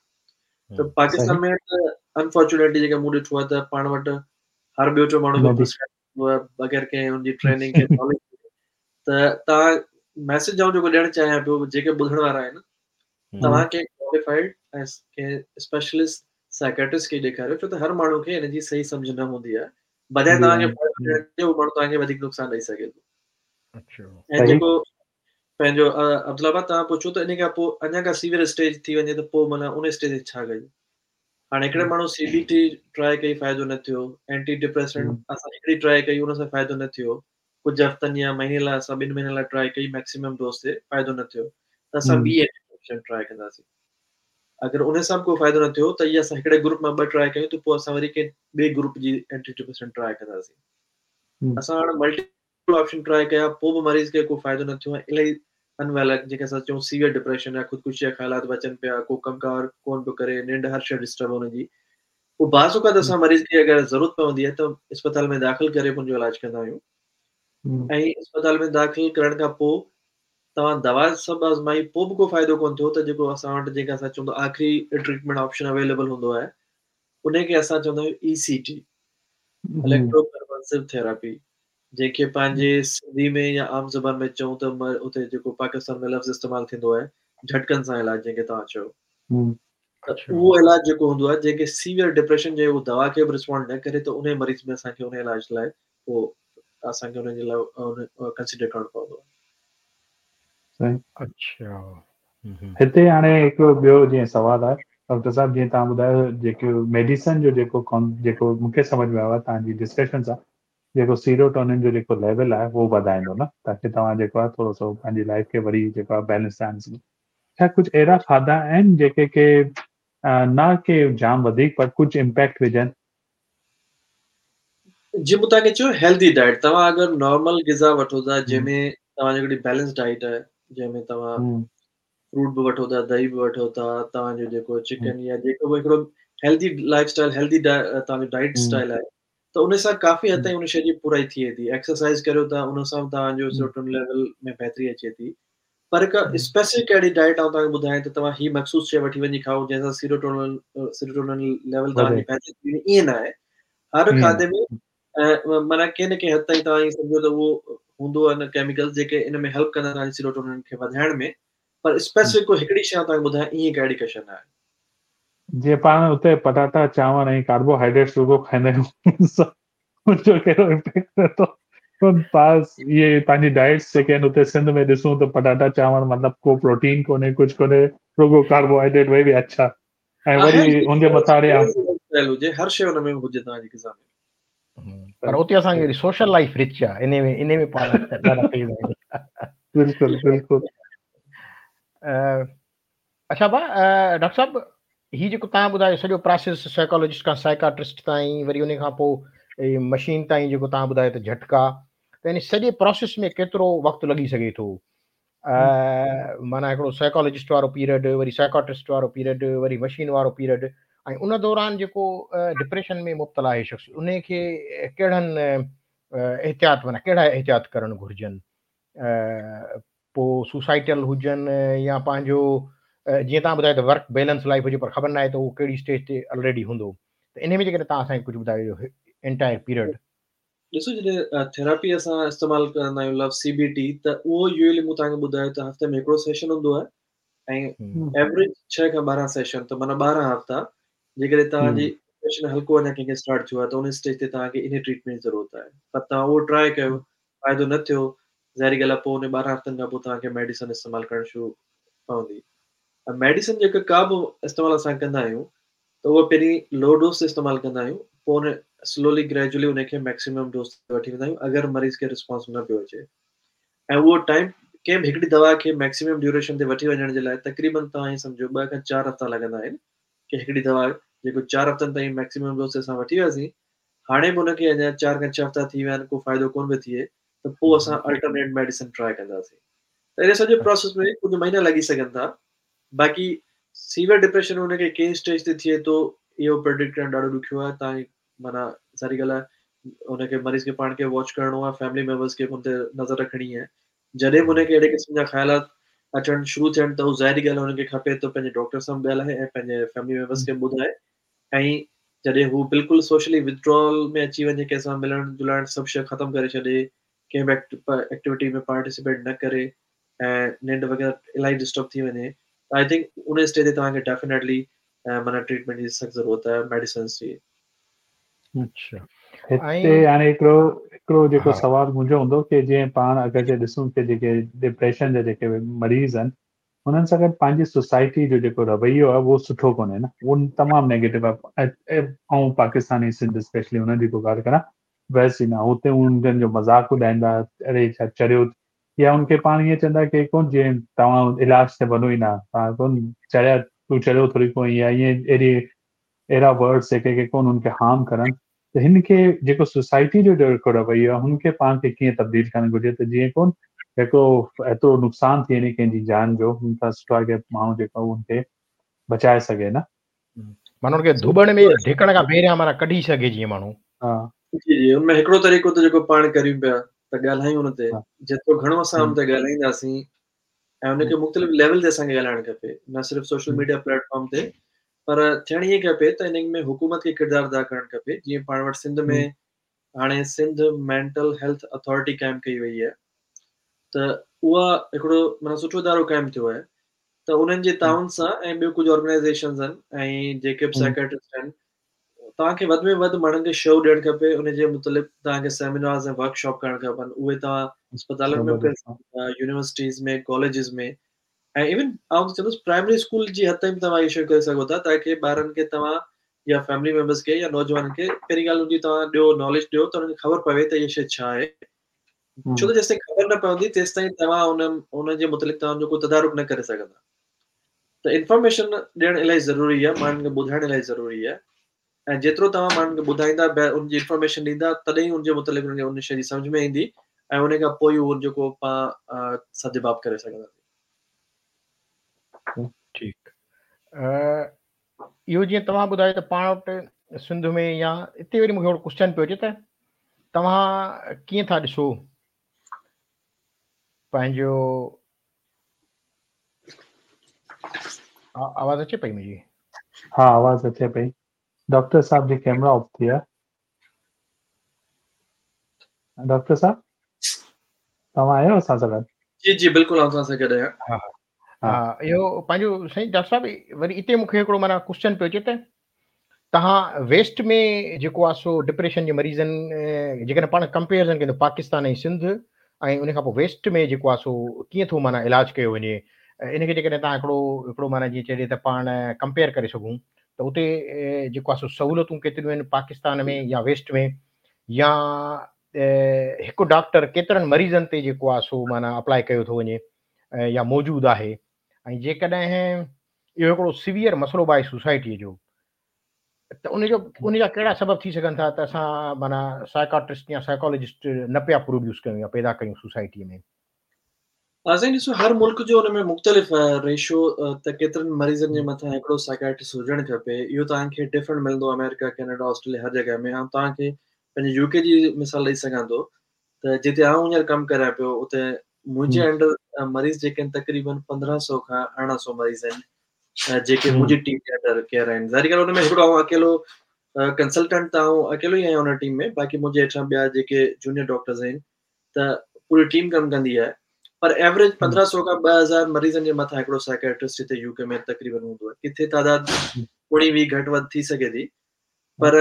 Speaker 2: ته پاڪستان ۾ ته انفارچونيٽلي جيڪا مون ڏٺو آهي ته پاڻ وٽ هر ٻيو ٽيون ماڻهو پرسڪرائب ڪندو آهي بغير ڪنهن ان جي ٽريننگ ڪنهن ناليج ته توهان ميسج آئون جيڪو ڏيڻ چاهيان پيو جيڪي ٻڌڻ وارا آهن توهان ڪنهن ڪواليفائيڊ ۽ ڪنهن اسپيشلسٽ سائيڪيٽرسٽ کي ڏيکاريو ڇو ته هر ماڻهو کي ان جي صحيح سمجهه نه هوندي آهي بجاء توهان کي فائدو ڏيڻ جي اهو ماڻهو توهان کي وڌيڪ نقصان ڏئي سگهي ٿو. اڇا ۽ جيڪو پنهنجو عبدالله ڀاء توهان پڇيو ته ان کان پوء اڃا ڪا سيويئر اسٽيج ٿي وڃي ته پوء معنيٰ ان اسٽيج تي ڇا ڪجي؟ هاڻي هڪڙي ماڻهو سي بي ٽي ٽرائي ڪئي فائدو نه ٿيو، اينٽي ڊپريسنٽ اسان هڪڙي ٽرائي ڪئي ان سان فائدو نه ٿيو، ڪجهه هفتن يا مهيني لاء اسان ٻن مهينن لاء ٽرائي ڪئي ميڪسيمم ڊوز تي فائدو نه ٿيو ته اسان ٻي اينٽي ڊپريسنٽ ٽرائي ڪنداسين. اگر ان سان به ڪو فائدو نه ٿيو ته اها اسان هڪڙي گروپ مان ٻه ٽرائي ڪيون ته پوء اسان وري ڪنهن ٻئي گروپ جي اينٽي ڊپريسنٽ ٽرائي ڪنداسين. اسان هاڻي ملٽي آپشن ٽرائي ڪيا پوء به مريض کي ڪو فائدو نه ٿيو ۽ الاهي انويل آهي جنهن کي اسان چئون سيويئر ڊپريشن يا خودڪشي جا خيالات به اچن پيا ڪو ڪم ڪار ڪون پيو ڪري ننڊ هر شيء ڊسٽرب هن جي پوء بعض اوقات اسان مريض کي اگر ضرورت پوندي آهي ته اسپتال ۾ داخل ڪري ان جو علاج ڪندا آهيون ۽ اسپتال ۾ داخل ڪرڻ کان پوء توهان دوا سڀ آزمائي پوء به ڪو فائدو ڪون ٿيو ته جيڪو اسان وٽ جنهن کي اسان چون ٿا آخري ٽريٽمينٽ آپشن اويليبل هوندو آهي ان کي اسان چوندا آهيون اي سي ٽي اليڪٽرو ڪنولسو ٿيراپي جنهن کي پنهنجي سنڌي ۾ يا عام زبان ۾ چئون ته اتي جيڪو پاڪستان ۾ لفظ استعمال ٿيندو آهي جهٽڪن سان علاج جنهن کي توهان چئو ته اهو علاج جيڪو هوندو آهي جنهن کي سيويئر ڊپريشن جي اهو دوا کي به رسپونڊ نه ڪري ته انهي مريض ۾ اسان کي انهي علاج لاء پوء اسان کي ان جي لاء ڪنسيڊر ڪرڻو پوندو
Speaker 3: آهي. اڇا هتي هاڻي هڪڙو ٻيو جيئن سوال آهي ڊاڪٽر صاحب جيئن توهان ٻڌايو جيڪو ميڊيسن جو جيڪو جيڪو مون کي سمجهه ۾ آيو آهي توهان جي ڊسڪشن سان جيڪو سيروٽونن جو جيڪو ليول آهي اهو وڌائيندو نه تاڪي توهان جيڪو آهي ٿورو سو پنهنجي لائف کي وري جيڪو آهي بيلنس سان آڻي سگهو ڇا ڪجهه اهڙا کاڌا آهن جيڪي ڪي نه ڪي جام وڌيڪ پر ڪجهه امپيڪٽ وجهن؟
Speaker 2: جي مون توهان کي چيو هيلدي ڊائيٽ توهان اگر نارمل غذا وٺو ٿا جنهن ۾ توهان جي هڪڙي بيلنس ڊائيٽ آهي جنهن ۾ توهان فروٽ به وٺو ٿا دهي به وٺو ٿا توهان جو جيڪو چڪن يا جيڪو به هڪڙو هيلدي لائف اسٽائل هيلدي توهان جو ڊائيٽ اسٽائل آهي ته ان سان ڪافي حد تائين ان شي جي پورائي ٿئي ٿي ايڪسرسائز ڪريو ٿا ان سان به توهان جو سيروٽونن ليول ۾ بهتري اچي ٿي پر هڪ اسپيسفڪ اهڙي ڊائيٽ آئون توهان کي ٻڌايان ته توهان هي مخصوص شيء وٺي وڃي کائو جنهن سان سيروٽونن سيروٽونن ليول توهان جي بهتر ٿي وڃي ائين نه آهي. هر کاڌي ۾ معنيٰ ڪنهن نه ڪنهن حد تائين توهان ائين سمجهو ته اهو هوندو آهي ڪيميڪلز جيڪي ان ۾ هيلپ ڪندا توهان جي سيروٽونن کي وڌائڻ ۾ پر اسپيسفڪ ڪو هڪڙي شيء آئون توهان کي ٻڌايان ائين ڪا اهڙي ڪا شيء نه آهي.
Speaker 3: جيئن پاڻ اتي پٽاٽا چانور ۽ ڪاربوهائيڊريٽس رڳو کائيندا آهيون ان جو ڪهڙو امپيڪٽ پئي ٿو پاس اهي پنهنجي ڊائيٽس جيڪي آهن اتي سنڌ ۾ ڏسون ته پٽاٽا چانور مطلب ڪو پروٽين ڪونهي ڪجهه ڪونهي رڳو ڪاربوهائيڊريٽ وئي به اڇا ۽ وري ان جي مٿان وري
Speaker 2: هجي هر شيء ان ۾ هجي توهان جي غذا ۾
Speaker 1: پر اتي اسان جي سوشل لائف رچ آ انهي ۾ انهي ۾ پاڻ ڏاڍا تيز آهيون.
Speaker 3: بلڪل بلڪل.
Speaker 1: اڇا ڀا ڊاڪٽر صاحب هي جيڪو توهان ٻڌايو سڄو پراسيس سائيڪالاجسٽ کان سائيڪاٽرسٽ تائين وري ان کان پوء مشين تائين جيڪو توهان ٻڌايو ته جهٽڪا ته ان سڄي پراسيس ۾ ڪيترو وقت لڳي سگهي ٿو معنيٰ هڪڙو سائيڪالاجسٽ وارو پيريڊ وري سائيڪاٽرسٽ وارو پيريڊ وري مشين وارو پيريڊ ۽ ان دوران جيڪو ڊپريشن ۾ مبتلا آهي شخص ان کي ڪهڙن احتياط معنيٰ ڪهڙا احتياط ڪرڻ گهرجن پوء سوسائيڊل هجن يا پنهنجو جيئن توهان ٻڌايو ته ورڪ بيلنس لائف هجي پر خبر ناهي ته اهو ڪهڙي اسٽيج تي الريڊي هوندو ته انهي ۾ جيڪڏهن توهان اسان کي ڪجهه ٻڌايو انٽائر پيريڊ.
Speaker 2: ڏسو جڏهن ٿيراپي اسان استعمال ڪندا آهيون لفظ سي بي ٽي ته اهو يوزلي مون توهان کي ٻڌايو ته هفتي ۾ هڪڙو سيشن هوندو آهي ۽ ايوريج 6 کان 12 سيشن ته معنيٰ 12 هفتا جيڪڏهن توهان جي ڊپريشن هلڪو اڃا ڪنهن کي اسٽارٽ ٿيو آهي ته ان اسٽيج تي توهان کي انهي ٽريٽمينٽ جي ضرورت آهي پر توهان اهو ٽرائي ڪيو فائدو نه ٿيو ظاهري ڳالهه آهي پوء ان 12 هفتن کان پوء توهان کي ميڊيسن استعمال ڪرڻ شروع پوندي ۽ ميڊيسن جيڪا ڪا به استعمال اسان ڪندا آهيون ته اهو پهرين لو ڊوز تي استعمال ڪندا آهيون پوء ان سلولي گريجولي ان کي ميڪسيمم ڊوز تي وٺي ويندا آهيون اگر مريض کي رسپانس نه پيو اچي ۽ اهو ٽائيم ڪنهن به هڪڙي دوا کي ميڪسيمم ڊيوريشن تي وٺي وڃڻ جي لاء تقريبن توهان ائين سمجهو ٻه کان چار هفتا لڳندا آهن ڪي هڪڙي دوا جيڪو چار هفتن تائين ميڪسيمم ڊوز تي اسان وٺي وياسين هاڻي به ان کي اڃا چار کان ڇهه هفتا ٿي ويا آهن ڪو فائدو ڪونه پيو ٿئي ته پوء اسان الٽرنيٽ ميڊيسن ٽرائي ڪنداسين ته ان سڄي پروسيس ۾ ڪجهه مهينا لڳي سگهن ٿا باقي سيويئر ڊپريشن ان کي ڪنهن اسٽيج تي ٿئي ٿو اهو پريڊڪٽ ڪرڻ ڏاڍو ڏکيو آهي توهان معنيٰ ظاهري ڳالهه آهي ان کي مريض کي پاڻ کي واچ ڪرڻو آهي فيملي ميمبرس کي به ان تي نظر رکڻي آهي جڏهن به ان کي اهڙي قسم جا خيالات اچڻ شروع ٿين ته ظاهري ڳالهه آهي ان کي کپي ته پنهنجي ڊاڪٽر سان به ڳالهائي ۽ پنهنجي فيملي ميمبرس کي ٻڌائي ۽ جڏهن هو بلڪل سوشلي ودڊرال ۾ اچي وڃي ڪنهن سان ملڻ جلڻ سڀ شيء ختم ڪري ڇڏي ڪنهن به ايڪٽيوٽي ۾ پارٽيسپيٽ نه ڪري ۽ ننڊ وغيره الاهي ڊسٽرب ٿي وڃي ته I think in stage تي توهان کي ڊيفينيٽلي معنيٰ ٽريٽمينٽ جي سخت ضرورت آهي ميڊيسنس جي.
Speaker 3: اڇا هتي هاڻي هڪڙو هڪڙو جيڪو سوال منهنجو هوندو ڪي جيئن پاڻ اگر جي ڏسون ڪي جيڪي ڊپريشن جا جيڪي مريض آهن انهن سان گڏ پنهنجي سوسائٽي جو جيڪو رويو آهي اهو سٺو ڪونهي نه اهو تمام نيگيٽو آهي آئون پاڪستاني سنڌ اسپيشلي انهن جي ٿو ڳالهه ڪران ويسٽ جي نه هتي انهن جو مذاق اڏائيندا اڙي ڇا چريو يا ان کي پاڻ ائين چوندا ڪي ڪون جيئن توهان علاج تي وڃو ئي نه توهان ڪون چريا تون چريو ٿوري ڪو يا ائين اهڙي اهڙا ورڊس جيڪي ڪي ڪون ان کي هارم ڪرن ته هن کي جيڪو سوسائٽي جو جيڪو رويو آهي هن کي پاڻ کي ڪيئن تبديل ڪرڻ گهرجي ته جيئن ڪون هڪڙو ايترو نقصان ٿئي ني ڪنهن جي جان جو هن کان سٺو آهي ڪي ماڻهو جيڪو ان کي بچائي سگهي نه
Speaker 1: معنيٰ ان کي ڌوٻڻ ۾ ڌڪڻ کان پهريان معنيٰ ڪڍي سگهي جيئن ماڻهو.
Speaker 2: ها. جي جي ان ۾ هڪڙو طريقو ته جيڪو پاڻ ڪريون پيا ته ڳالهايون ان تي جيترو گهڻو اسان ان تي ڳالهائينداسين ۽ ان کي مختلف ليول تي اسان کي ڳالهائڻ کپي نه صرف سوشل ميڊيا پليٽ فارم تي پر ٿيڻ ائين کپي ته ان ۾ حڪومت کي ڪردار ادا ڪرڻ کپي جيئن پاڻ وٽ سنڌ ۾ هاڻي سنڌ مينٽل هيلٿ اٿارٽي قائم ڪئي وئي آهي ته اها هڪڙو معنيٰ سٺو ادارو قائم ٿيو آهي ته انهن جي تعاون سان ۽ ٻيو ڪجهه آرگنائيزيشنز آهن ۽ جيڪي به سائيڪاٽرسٽ آهن توهان کي وڌ ۾ وڌ ماڻهن کي شعور ڏيڻ کپي ان جي متعلق توهان کي سيمينارز ۽ ورڪشاپ ڪرڻ کپن اهي توهان اسپتالن ۾ به ڪري سگهو ٿا يونيورسٽيز ۾ ڪاليجز ۾ ۽ ايون آئون ته چوندس پرائمري اسڪول جي حد تائين به توهان اهي شيون ڪري سگهو ٿا تاڪي ٻارن کي توهان يا فيملي ميمبرس کي يا نوجوانن کي پهرين ڳالهه ان جي توهان ڏيو ناليج ڏيو ته انهن کي خبر پوي ته اها شيء ڇا آهي ڇو ته جيستائين خبر نه پوندي تيستائين توهان ان ان جي متعلق توهان جو ڪو تدارڪ نه ڪري سگهندا ته انفارميشن ڏيڻ الاهي ضروري آهي ماڻهن کي ٻڌائڻ الاهي ضروري آهي ۽ جيترو توهان ماڻهن کي ٻڌائيندا ان جي انفارميشن ڏيندا تڏهن ان جي متعلق انهن کي ان شيء جي سمجه ۾ ايندي ۽ ان کان پوء اهو جيڪو پاڻ سدباب ڪري سگهنداسين.
Speaker 1: ٺيڪ اهو جيئن توهان ٻڌايو ته پاڻ وٽ سنڌ ۾ يا اتي وري مونکي هڪڙو ڪوشچن پيو اچي ته توهان ڪيئن ٿا ڏسو پنهنجو آواز اچي پئي منهنجي؟
Speaker 3: ها آواز اچي پئي ڊاڪٽر صاحب جي ڪيمرا آف ٿي آ ڊاڪٽر صاحب توهان آهيو اسان سان گڏ؟
Speaker 2: جي جي بلڪل آئون توهان سان گڏ آهيان.
Speaker 1: ها ها اهو پنهنجو سائين ڊاڪٽر صاحب وري اتي مونکي هڪڙو معنيٰ ڪوشچن پيو اچي ته توهان ويسٽ ۾ جيڪو آهي سو ڊپريشن جي مريضن جيڪڏهن پاڻ ڪمپيرزن ڪندو پاڪستان ۽ سنڌ ۽ ان کان پوء ويسٽ ۾ جيڪو آهي سو ڪيئن ٿو معنيٰ علاج ڪيو وڃي ان کي جيڪڏهن توهان هڪڙو هڪڙو معنيٰ جيئن چئجي ته پاڻ ڪمپيئر ڪري سگهون ته اتي جيڪو آهي سو سهولتون ڪيتريون آهن پاڪستان ۾ يا ويسٽ ۾ يا هڪ ڊاڪٽر ڪيترن مريضن تي جيڪو آهي سو معنيٰ اپلائي ڪيو ٿو وڃي يا موجود آهي ۽ جيڪڏهن اهو هڪڙو سيويئر مسئلو به آهي سوسائٽيء جو ته ان جو ان جا ڪهڙا سبب ٿي سگهن ٿا ته اسان معنيٰ سائيڪاٽرسٽ يا سائيڪالاجسٽ نه پيا پروڊيوس ڪيون يا پيدا ڪيون سوسائٽيء ۾؟
Speaker 2: ها سائين ڏسو هر ملڪ جو ان ۾ مختلف آهي ريشو ته ڪيترن مريضن جي مٿان هڪڙو سائيڪائٽرسٽ هجڻ کپي اهو توهان کي ڊفرنٽ ملندو آمريڪا ڪينيڊا آسٽريليا هر جڳهه ۾ آئون توهان کي پنهنجي يو ڪي جي مثال ڏئي سگهان ٿو ته جتي آئون هينئر ڪم ڪريان پيو اتي منهنجي انڊر مريض جيڪي آهن تقريبن 1500 کان 1800 مريض آهن جيڪي منهنجي ٽيم جي انڊر ڪيئر آهن ظاهري ڳالهه ان ۾ هڪڙو آئون اڪيلو ڪنسلٽنٽ ته آئون اڪيلو ئي آهيان ان ٽيم ۾ باقي منهنجي هيٺان ٻيا جيڪي جونيئر ڊاڪٽرز آهن ته پوري ٽيم ڪم ڪندي آهي پر ايوريج 1500 کان 2000 مريضن جي مٿان هڪڙو سائيڪائٽرسٽ هتي يو ڪي ۾ تقريبن هوندو آهي ڪٿي تعداد اوڻيهه ويهه گهٽ وڌ ٿي سگهي ٿي پر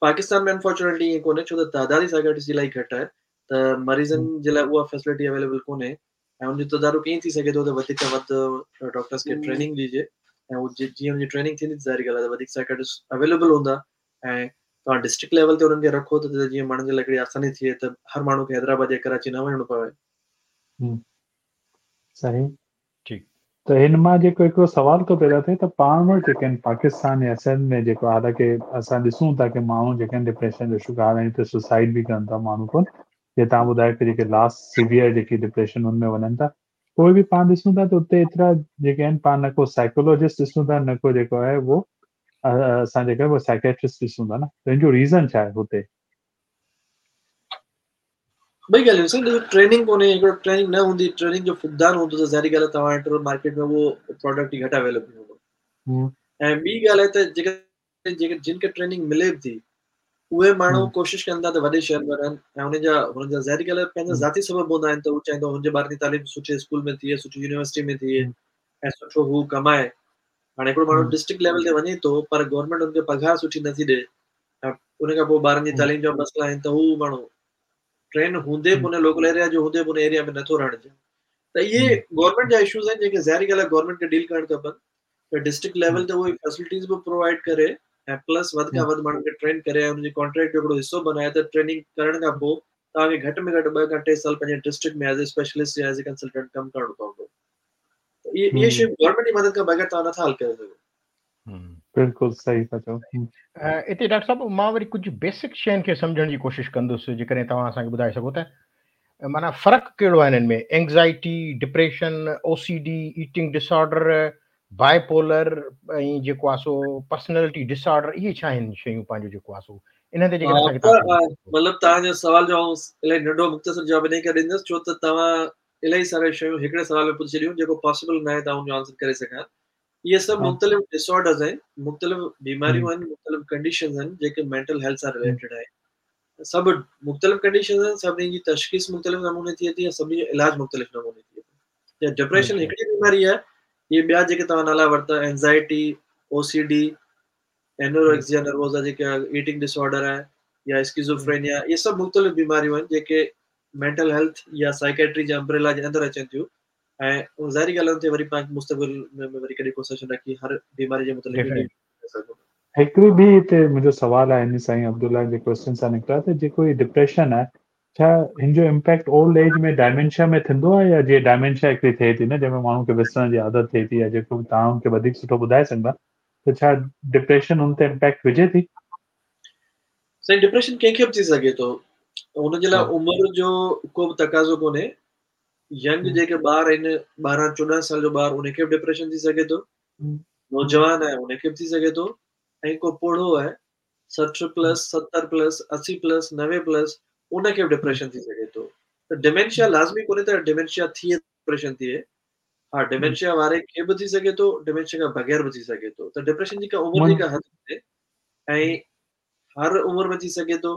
Speaker 2: پاڪستان ۾ انفارچونيٽلي ائين ڪونهي ڇو ته تعداد ئي سائيڪائٽرسٽ جي الاهي گهٽ آهي ته مريضن جي لاء اها فيسلٽي اويليبل ڪونهي ۽ ان جو تدارڪ ائين ٿي سگهي ٿو ته وڌيڪ کان وڌ ڊاڪٽرس کي ٽريننگ ڏجي ۽ جيئن ان جي ٽريننگ ٿيندي ظاهري ڳالهه آهي ته وڌيڪ سائيڪائٽرسٽ اويليبل هوندا ۽ توهان ڊسٽرڪٽ ليول تي انهن کي رکو ته جيئن ماڻهن جي لاء هڪڙي آساني ٿئي ته هر ماڻهو کي حيدرآباد يا ڪراچي نه وڃڻو پوي.
Speaker 3: صحيح.
Speaker 1: ٺيڪ.
Speaker 3: ته هن مان جيڪو هڪڙو سوال ٿو پيدا ٿئي ته پاڻ وٽ جيڪي آهن پاڪستان يا سنڌ ۾ جيڪو حالانڪه اسان ڏسون ٿا ڪي ماڻهو جيڪي آهن ڊپريشن جو شڪار آهن ته سوسائيڊ به ڪن ٿا ماڻهو ڪون جي توهان ٻڌايو ڪي جيڪي لاسٽ سيويئر جيڪي ڊپريشن ان ۾ وڃن ٿا پوء به پاڻ ڏسون ٿا ته اتي ايترا جيڪي آهن پاڻ نه ڪو سائيڪولوجسٽ ڏسون ٿا نه ڪو جيڪو آهي اهو اسان جيڪا اهو سائيڪيٽرسٽ ڏسون ٿا نه ته ان جو ريزن ڇا آهي هتي؟
Speaker 2: ٻئي ڳالهيون سائين ڏسو ٽريننگ ڪونهي هڪڙو ٽريننگ نه هوندي ٽريننگ جو فقدان هوندو ته ظاهري ڳالهه آهي توهان وٽ مارڪيٽ ۾ اهو پراڊڪٽ ئي گهٽ اويليبل هوندو ۽ ٻي ڳالهه آهي ته جيڪا جيڪي جن کي ٽريننگ ملي به ٿي اهي ماڻهو ڪوشش ڪن ٿا ته وڏي شهر ۾ رهن ۽ انهن جا هنن جا ظاهري ڳالهه آهي پنهنجا ذاتي سبب هوندا آهن ته هو چاهيندو هن جي ٻارن جي تعليم سٺي اسڪول ۾ ٿئي سٺي يونيورسٽي ۾ ٿئي ۽ سٺو هو ڪمائي هاڻي هڪڙو ماڻهو ڊسٽرڪٽ ليول تي وڃي ٿو پر گورنمينٽ هن کي پگهار سٺي نٿي ڏي ۽ ان کان پوء ٻارن جي تعليم جا مسئلا آهن ته هو ماڻهو ٽرين هوندي به ان لوڪل ايريا جو هوندي به ان ايريا ۾ نٿو رهڻ چاهي ته اهي گورنمينٽ جا اشوز آهن جيڪي ظاهري ڳالهه آهي گورنمينٽ کي ڊيل ڪرڻ کپن ته ڊسٽرڪٽ ليول تي اهي فيسلٽيز به پرووائيڊ ڪري ۽ پلس وڌ کان وڌ ماڻهن کي ٽرين ڪري ۽ ان جي ڪانٽريڪٽ جو هڪڙو حصو بنائي ته ٽريننگ ڪرڻ کان پوء توهان کي گهٽ ۾ گهٽ 2 کان 3 سال پنهنجي ڊسٽرڪٽ ۾ ايز اي اسپيشلسٽ يا ايز اي ڪنسلٽنٽ ڪم ڪرڻو پوندو ته اهي اهي شيون گورنمينٽ جي مدد کان بغير توهان نٿا حل ڪري سگهو.
Speaker 3: بلڪل صحيح ٿا چئو.
Speaker 1: اتي ڊاڪٽر صاحب مان وري ڪجهه بيسڪ شين کي سمجهڻ جي ڪوشش ڪندس جيڪڏهن توهان اسان کي ٻڌائي سگهو ته معنيٰ فرق ڪهڙو آهي انهن ۾ anxiety, depression, O C D, eating disorder, bipolar ۽ جيڪو آهي سو پرسنالٽي ڊس آرڊر اهي ڇا آهن شيون پنهنجو جيڪو آهي سو انهن تي جيڪڏهن اسان کي
Speaker 2: توهان مطلب توهان جو سوال جو آئون الاهي ننڍو مختصر جواب انهي ڪري ڏيندس ڇو ته توهان الاهي ساري شيون هڪڙي سوال ۾ پڇي ڇڏيون جيڪو پاسيبل ناهي ته آئون ان جو آنسر ڪري سگهان اهي سڀ مختلف ڊس آرڊرز آهن مختلف بيماريون آهن مختلف ڪنڊيشنز آهن جيڪي مينٽل هيلٿ سان رليٽيڊ آهن سڀ مختلف ڪنڊيشنز آهن سڀني جي تشخيص مختلف نموني ٿئي ٿي ۽ سڀني جو علاج مختلف نموني ٿئي ٿو جي ڊپريشن هڪڙي بيماري آهي اهي ٻيا جيڪي توهان نالا ورتا anxiety O C D anorexia nervosa جيڪا ايٽنگ ڊس آرڊر آهي يا اسڪيزوفرينيا اهي سڀ مختلف بيماريون آهن جيڪي مينٽل هيلٿ يا سائيڪيٽري جي امبريلا جي اندر اچن ٿيون ۽ ظاهري ڳالهه تي وري پاڻ مستقبل ۾ وري ڪڏهن ڪو سيشن رکي هر بيماري جي متعلق
Speaker 3: هڪڙي ٻي هتي منهنجو سوال آهي ان سائين عبدالله جي ڪويسچن سان نڪتو آهي ته جيڪو هي ڊپريشن آهي ڇا هن جو امپيڪٽ اولڊ ايج ۾ ڊائمينشيا ۾ ٿيندو آهي يا جيئن ڊائمينشيا هڪڙي ٿئي ٿي نه جنهن ۾ ماڻهو کي وسرڻ جي عادت ٿئي ٿي يا جيڪو به توهان ان کي وڌيڪ سٺو ٻڌائي سگهندا ته ڇا ڊپريشن ان تي امپيڪٽ وجهي ٿي؟
Speaker 2: سائين ڊپريشن ڪنهن کي به ٿي سگهي ٿو ان جي لاء عمر جو ڪو به تقاضو ڪونهي ينگ جيڪي ٻار آهن 12 14 سال جو ٻار ان کي به ڊپريشن ٿي سگهي ٿو نوجوان آهي ان کي به ٿي سگهي ٿو ۽ ڪو پوڙهو آهي 60 پلس 70 پلس 80 پلس 90 پلس ان کي به ڊپريشن ٿي سگهي ٿو ته ڊيمينشيا لازمي ڪونهي ته ڊيمينشيا ٿئي ڊپريشن ٿئي ها ڊيمينشيا واري کي به ٿي سگهي ٿو ڊيمينشيا کان بغير به ٿي سگهي ٿو ته ڊپريشن جي ڪا عمر جي ڪا حد ڪونهي ۽ هر عمر ۾ ٿي سگهي ٿو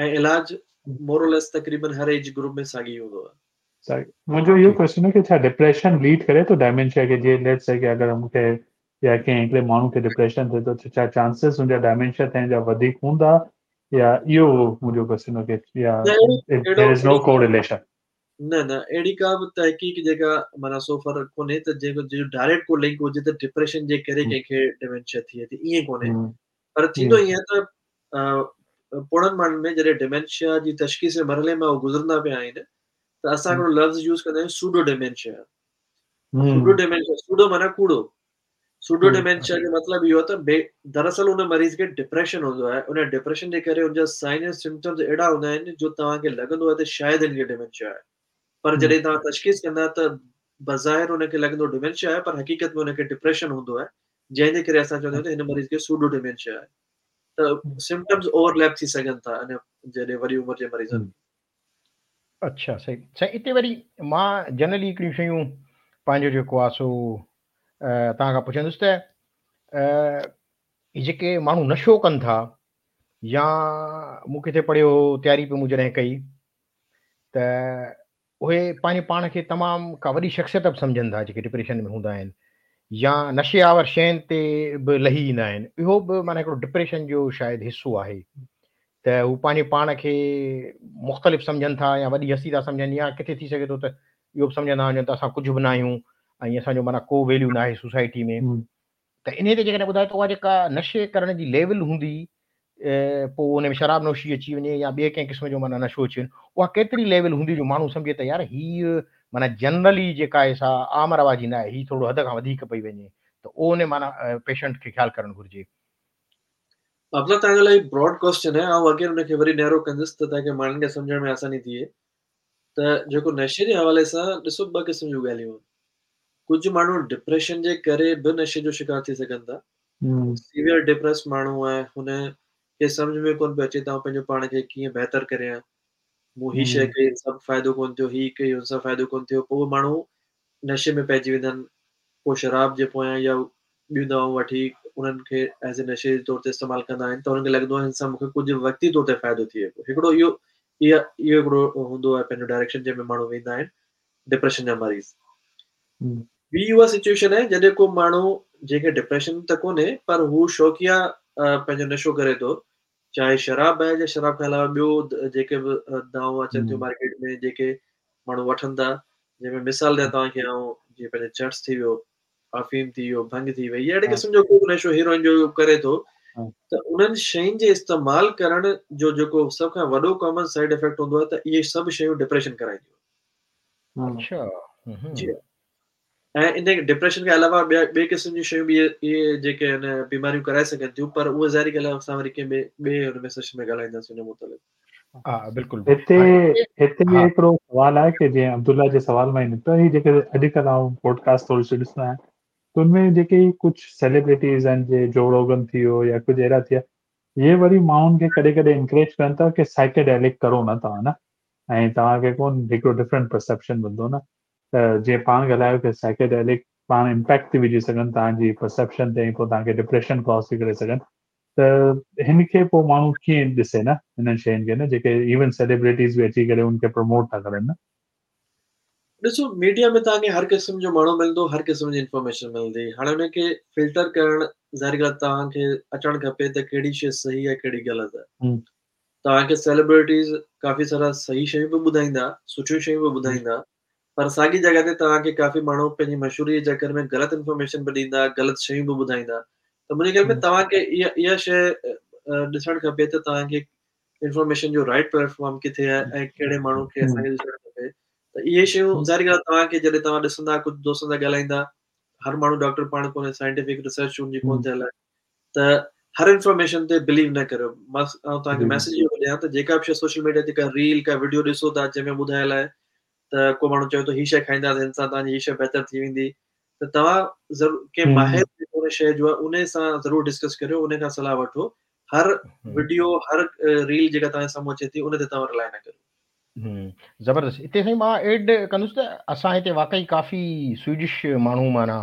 Speaker 2: ۽ علاج مور اور ليس تقريبن هر ايج گروپ ۾ ساڳي هوندو آهي.
Speaker 3: منهنجو اهو ڪويسچن آهي ڪه ڇا ڊپريشن ليڊ ڪري ٿو ڊائمينشيا کي جي ليٽس سي ڪه اگر مون کي يا ڪنهن هڪڙي ماڻهو کي ڊپريشن ٿئي ٿو ته ڇا چانسز ان جا ڊائمينشيا ٿيڻ جا وڌيڪ هوندا يا اهو منهنجو ڪويسچن هو ڪه يا there از نو ڪورليشن.
Speaker 2: نه نه اهڙي ڪا به تحقيق جيڪا معنيٰ سو فار ڪونهي ته جيڪو جو ڊائريڪٽ ڪو لنڪ هجي ته ڊپريشن جي ڪري ڪنهن کي ڊيمينشيا ٿئي ٿي ائين ڪونهي پر ٿيندو ائين آهي ته پوڙهن ماڻهن ۾ جڏهن ڊيمينشيا جي تشخيص جي مرحلي مان هو گذرندا پيا آهن ته اسان هڪڙو لفظ يوز ڪندا آهيون pseudo dementia pseudo dementia pseudo معنيٰ ڪوڙو سوڊو ڊيمينشيا جو مطلب اهو ته بي دراصل ان مريض کي ڊپريشن هوندو آهي ان ڊپريشن جي ڪري ان جا سائن ۽ سمپٽمز اهڙا هوندا آهن جو توهان کي لڳندو آهي ته شايد هن کي ڊيمينشيا آهي پر جڏهن توهان تشخيص ڪندا ته بظاهر ان کي لڳندو ڊيمينشيا آهي پر حقيقت ۾ ان کي ڊپريشن هوندو آهي جنهن جي ڪري اسان چوندا آهيون ته هن مريض کي سوڊو ڊيمينشيا آهي ته سمپٽمز اوورليپ ٿي سگهن ٿا ان جڏهن وڏي عمر جي مريضن ۾.
Speaker 1: اڇا صحيح سائين اتي وري مان جنرلي هڪڙيون شيون پنهنجو جيڪو آهي سو توهان کان پڇندس ته هي جيڪي ماڻهو نشو ڪن ٿا يا مون ڪٿي پڙهيو هو تياري پي مون جڏهن ڪئي ته اهي پنهنجي پاڻ کي تمام ڪا وڏي شخصيت به سمجهن ٿا جيڪي ڊپريشن ۾ هوندا آهن يا نشي آور شين تي به لهي ايندا آهن اهو به معنيٰ هڪڙو ڊپريشن جو شايد حصو آهي ته هو پنهنجي پاڻ کي مختلف سمجهن ٿا يا وڏي هستي ٿا سمجهن يا ڪٿي ٿي سگهي ٿو ته اهو به سمجهندا هجن ته اسان ڪجهه به ناهيون ۽ اسان جو معنيٰ ڪو ويليو ناهي سوسائٽي ۾ ته انهي تي جيڪڏهن ٻڌايو ته اها جيڪا نشي ڪرڻ جي ليول هوندي پوء ان ۾ شراب نوشي اچي وڃي يا ٻئي ڪنهن قسم جو معنيٰ نشو اچي وڃي اها ڪيتري ليول هوندي جو ماڻهو سمجهي ته يار هي معنيٰ جنرلي جيڪا آهي سا عام رواجي نه آهي هي ٿورو حد کان وڌيڪ پئي وڃي ته اهو ان معنيٰ پيشنٽ کي خيال ڪرڻ گهرجي.
Speaker 2: عبدالله توهان جو الاهي براڊ ڪويسچن آهي آئون اگين ان کي وري نيرو ڪندس ته تاڪه ماڻهن کي سمجهڻ ۾ آساني ٿئي ته جيڪو نشي جي حوالي سان ڏسو ٻه قسم جون ڳالهيون آهن ڪجهه ماڻهو ڊپريشن جي ڪري به نشي جو شڪار ٿي سگهن ٿا سيويئر ڊپريس ماڻهو آهي هن کي سمجهه ۾ ڪونه پيو اچي ته آئون پنهنجو پاڻ کي ڪيئن بهتر ڪريان مون هي شيء ڪئي هن سان فائدو ڪونه ٿيو هي ڪئي هن سان فائدو ڪونه ٿيو پوء ماڻهو نشي ۾ پئجي ويندا آهن ڪو شراب جي پويان يا ٻيون دوائون وٺي انهن کي ايز اي نشي جي طور تي استعمال ڪندا آهن ته انهن کي لڳندو آهي هن سان مون کي ڪجهه وقتي طور تي فائدو ٿئي پيو هڪڙو اهو اها اهو هڪڙو هوندو آهي پنهنجو ڊائريڪشن جنهن ۾ ماڻهو ويندا آهن ڊپريشن جا مريض ٻي اها سچويشن آهي جڏهن ڪو ماڻهو جنهن کي ڊپريشن ته ڪونهي پر هو شوقيا پنهنجو نشو ڪري ٿو چاهي شراب آهي يا شراب کان علاوه ٻيو جيڪي به دوائون اچن ٿيون مارڪيٽ ۾ جيڪي ماڻهو وٺن ٿا جنهن ۾ مثال ڏيان توهان کي آئون جيئن پنهنجو چرس ٿي ويو آفيم ٿي ويو ڀنگ ٿي وئي اهڙي قسم جو ڪو به نشو هيروئن جو ڪري ٿو ته انهن شين جي استعمال ڪرڻ جو جيڪو سڀ کان وڏو ڪامن سائيڊ افيڪٽ هوندو آهي ته اهي سڀ شيون ڊپريشن ڪرائينديون
Speaker 1: اڇا
Speaker 2: جي ۽ ان ڊپريشن کان علاوه ٻيا ٻئي قسم جون شيون به اهي جيڪي آهن بيماريون ڪرائي سگهن ٿيون پر اهي ظاهري ڳالهه آهي اسان وري ڪنهن ٻئي ٻئي ان ۾ سيشن ۾ ڳالهائينداسين ان متعلق.
Speaker 1: ها بلڪل
Speaker 3: هتي هتي به هڪڙو سوال آهي ڪي جيئن عبدالله جي سوال مان ئي نڪتو هي جيڪي اڄڪلهه آئون پوڊڪاسٽ ٿوري سي ڏسندو آهيان ته ان ۾ جيڪي ڪجهه سيليبرٽيز آهن جي جو روگن ٿي ويو يا ڪجهه اهڙا ٿيا اهي وري ماڻهن کي ڪڏهن ڪڏهن انڪريج ڪن ٿا ڪي سائيڪيڊيلڪ ڪرو نه توهان نه ۽ توهان کي ڪون هڪڙو ڊفرنٽ پرسيپشن ملندو نه ته جيئن پاڻ ڳالهايو ڪي سائيڪيڊيلڪ پاڻ امپيڪٽ ٿي وجهي سگهن توهان جي پرسيپشن تي ۽ پوء توهان کي ڊپريشن ڪاز ٿي ڪري سگهن ته هن کي پوء ماڻهو ڪيئن ڏسي نه هنن شين کي نه جيڪي ايون سيليبرٽيز به اچي ڪري ان کي پروموٽ ٿا ڪرن نه.
Speaker 2: ڏسو ميڊيا ۾ توهان کي هر قسم جو ماڻهو ملندو هر قسم جي انفارميشن ملندي هاڻي ان کي فلٽر ڪرڻ ظاهري ڳالهه توهان کي اچڻ کپي ته ڪهڙي شي صحيح آهي ڪهڙي غلط آهي توهان کي سيلبرٽيز ڪافي سارا صحيح شيون به ٻڌائيندا، سٺيون شيون به ٻڌائيندا، پر ساڳي جڳهه تي توهان کي ڪافي ماڻهو پنهنجي مشهوري جي چڪر ۾ غلط انفارميشن به ڏيندا، غلط شيون به ٻڌائيندا ته منهنجي خيال ۾ توهان کي اها اها شيء ڏسڻ کپي ته توهان کي انفارميشن جو رائٽ پليٽ فارم ڪٿي آهي ۽ ڪهڙي ماڻهو کي اسان کي ڏسڻ کپي ته اهي شيون ظاهري ڳالهه توهان کي جڏهن توهان ڏسندا ڪجهه دوستن سان ڳالهائيندا هر ماڻهو ڊاڪٽر پاڻ ڪونهي سائنٽيفڪ ريسرچ ان جي ڪونه ٿيل آهي ته هر انفارميشن تي بليو نه ڪريو بس آئون توهان کي ميسج اهو ڏيان ته جيڪا به شيء سوشل ميڊيا تي ڪا ريل ڪا وڊيو ڏسو ٿا جنهن ۾ ٻڌايل آهي ته ڪو ماڻهو چوي ٿو هي شيء کائيندا ته هن سان توهان جي هي شيء بهتر ٿي ويندي ته توهان ضرور ڪنهن ماهر جيڪو ان شيء جو آهي ان سان ضرور ڊسڪس ڪريو ان کان صلاح وٺو هر وڊيو هر ريل جيڪا توهان جي سامهون اچي ٿي ان تي توهان رلائي نه ڪريو.
Speaker 1: زبردست اتي سائين مان ايڊ ڪندس ته اسان هتي واقعي ڪافي سوئيڊش ماڻهو معنيٰ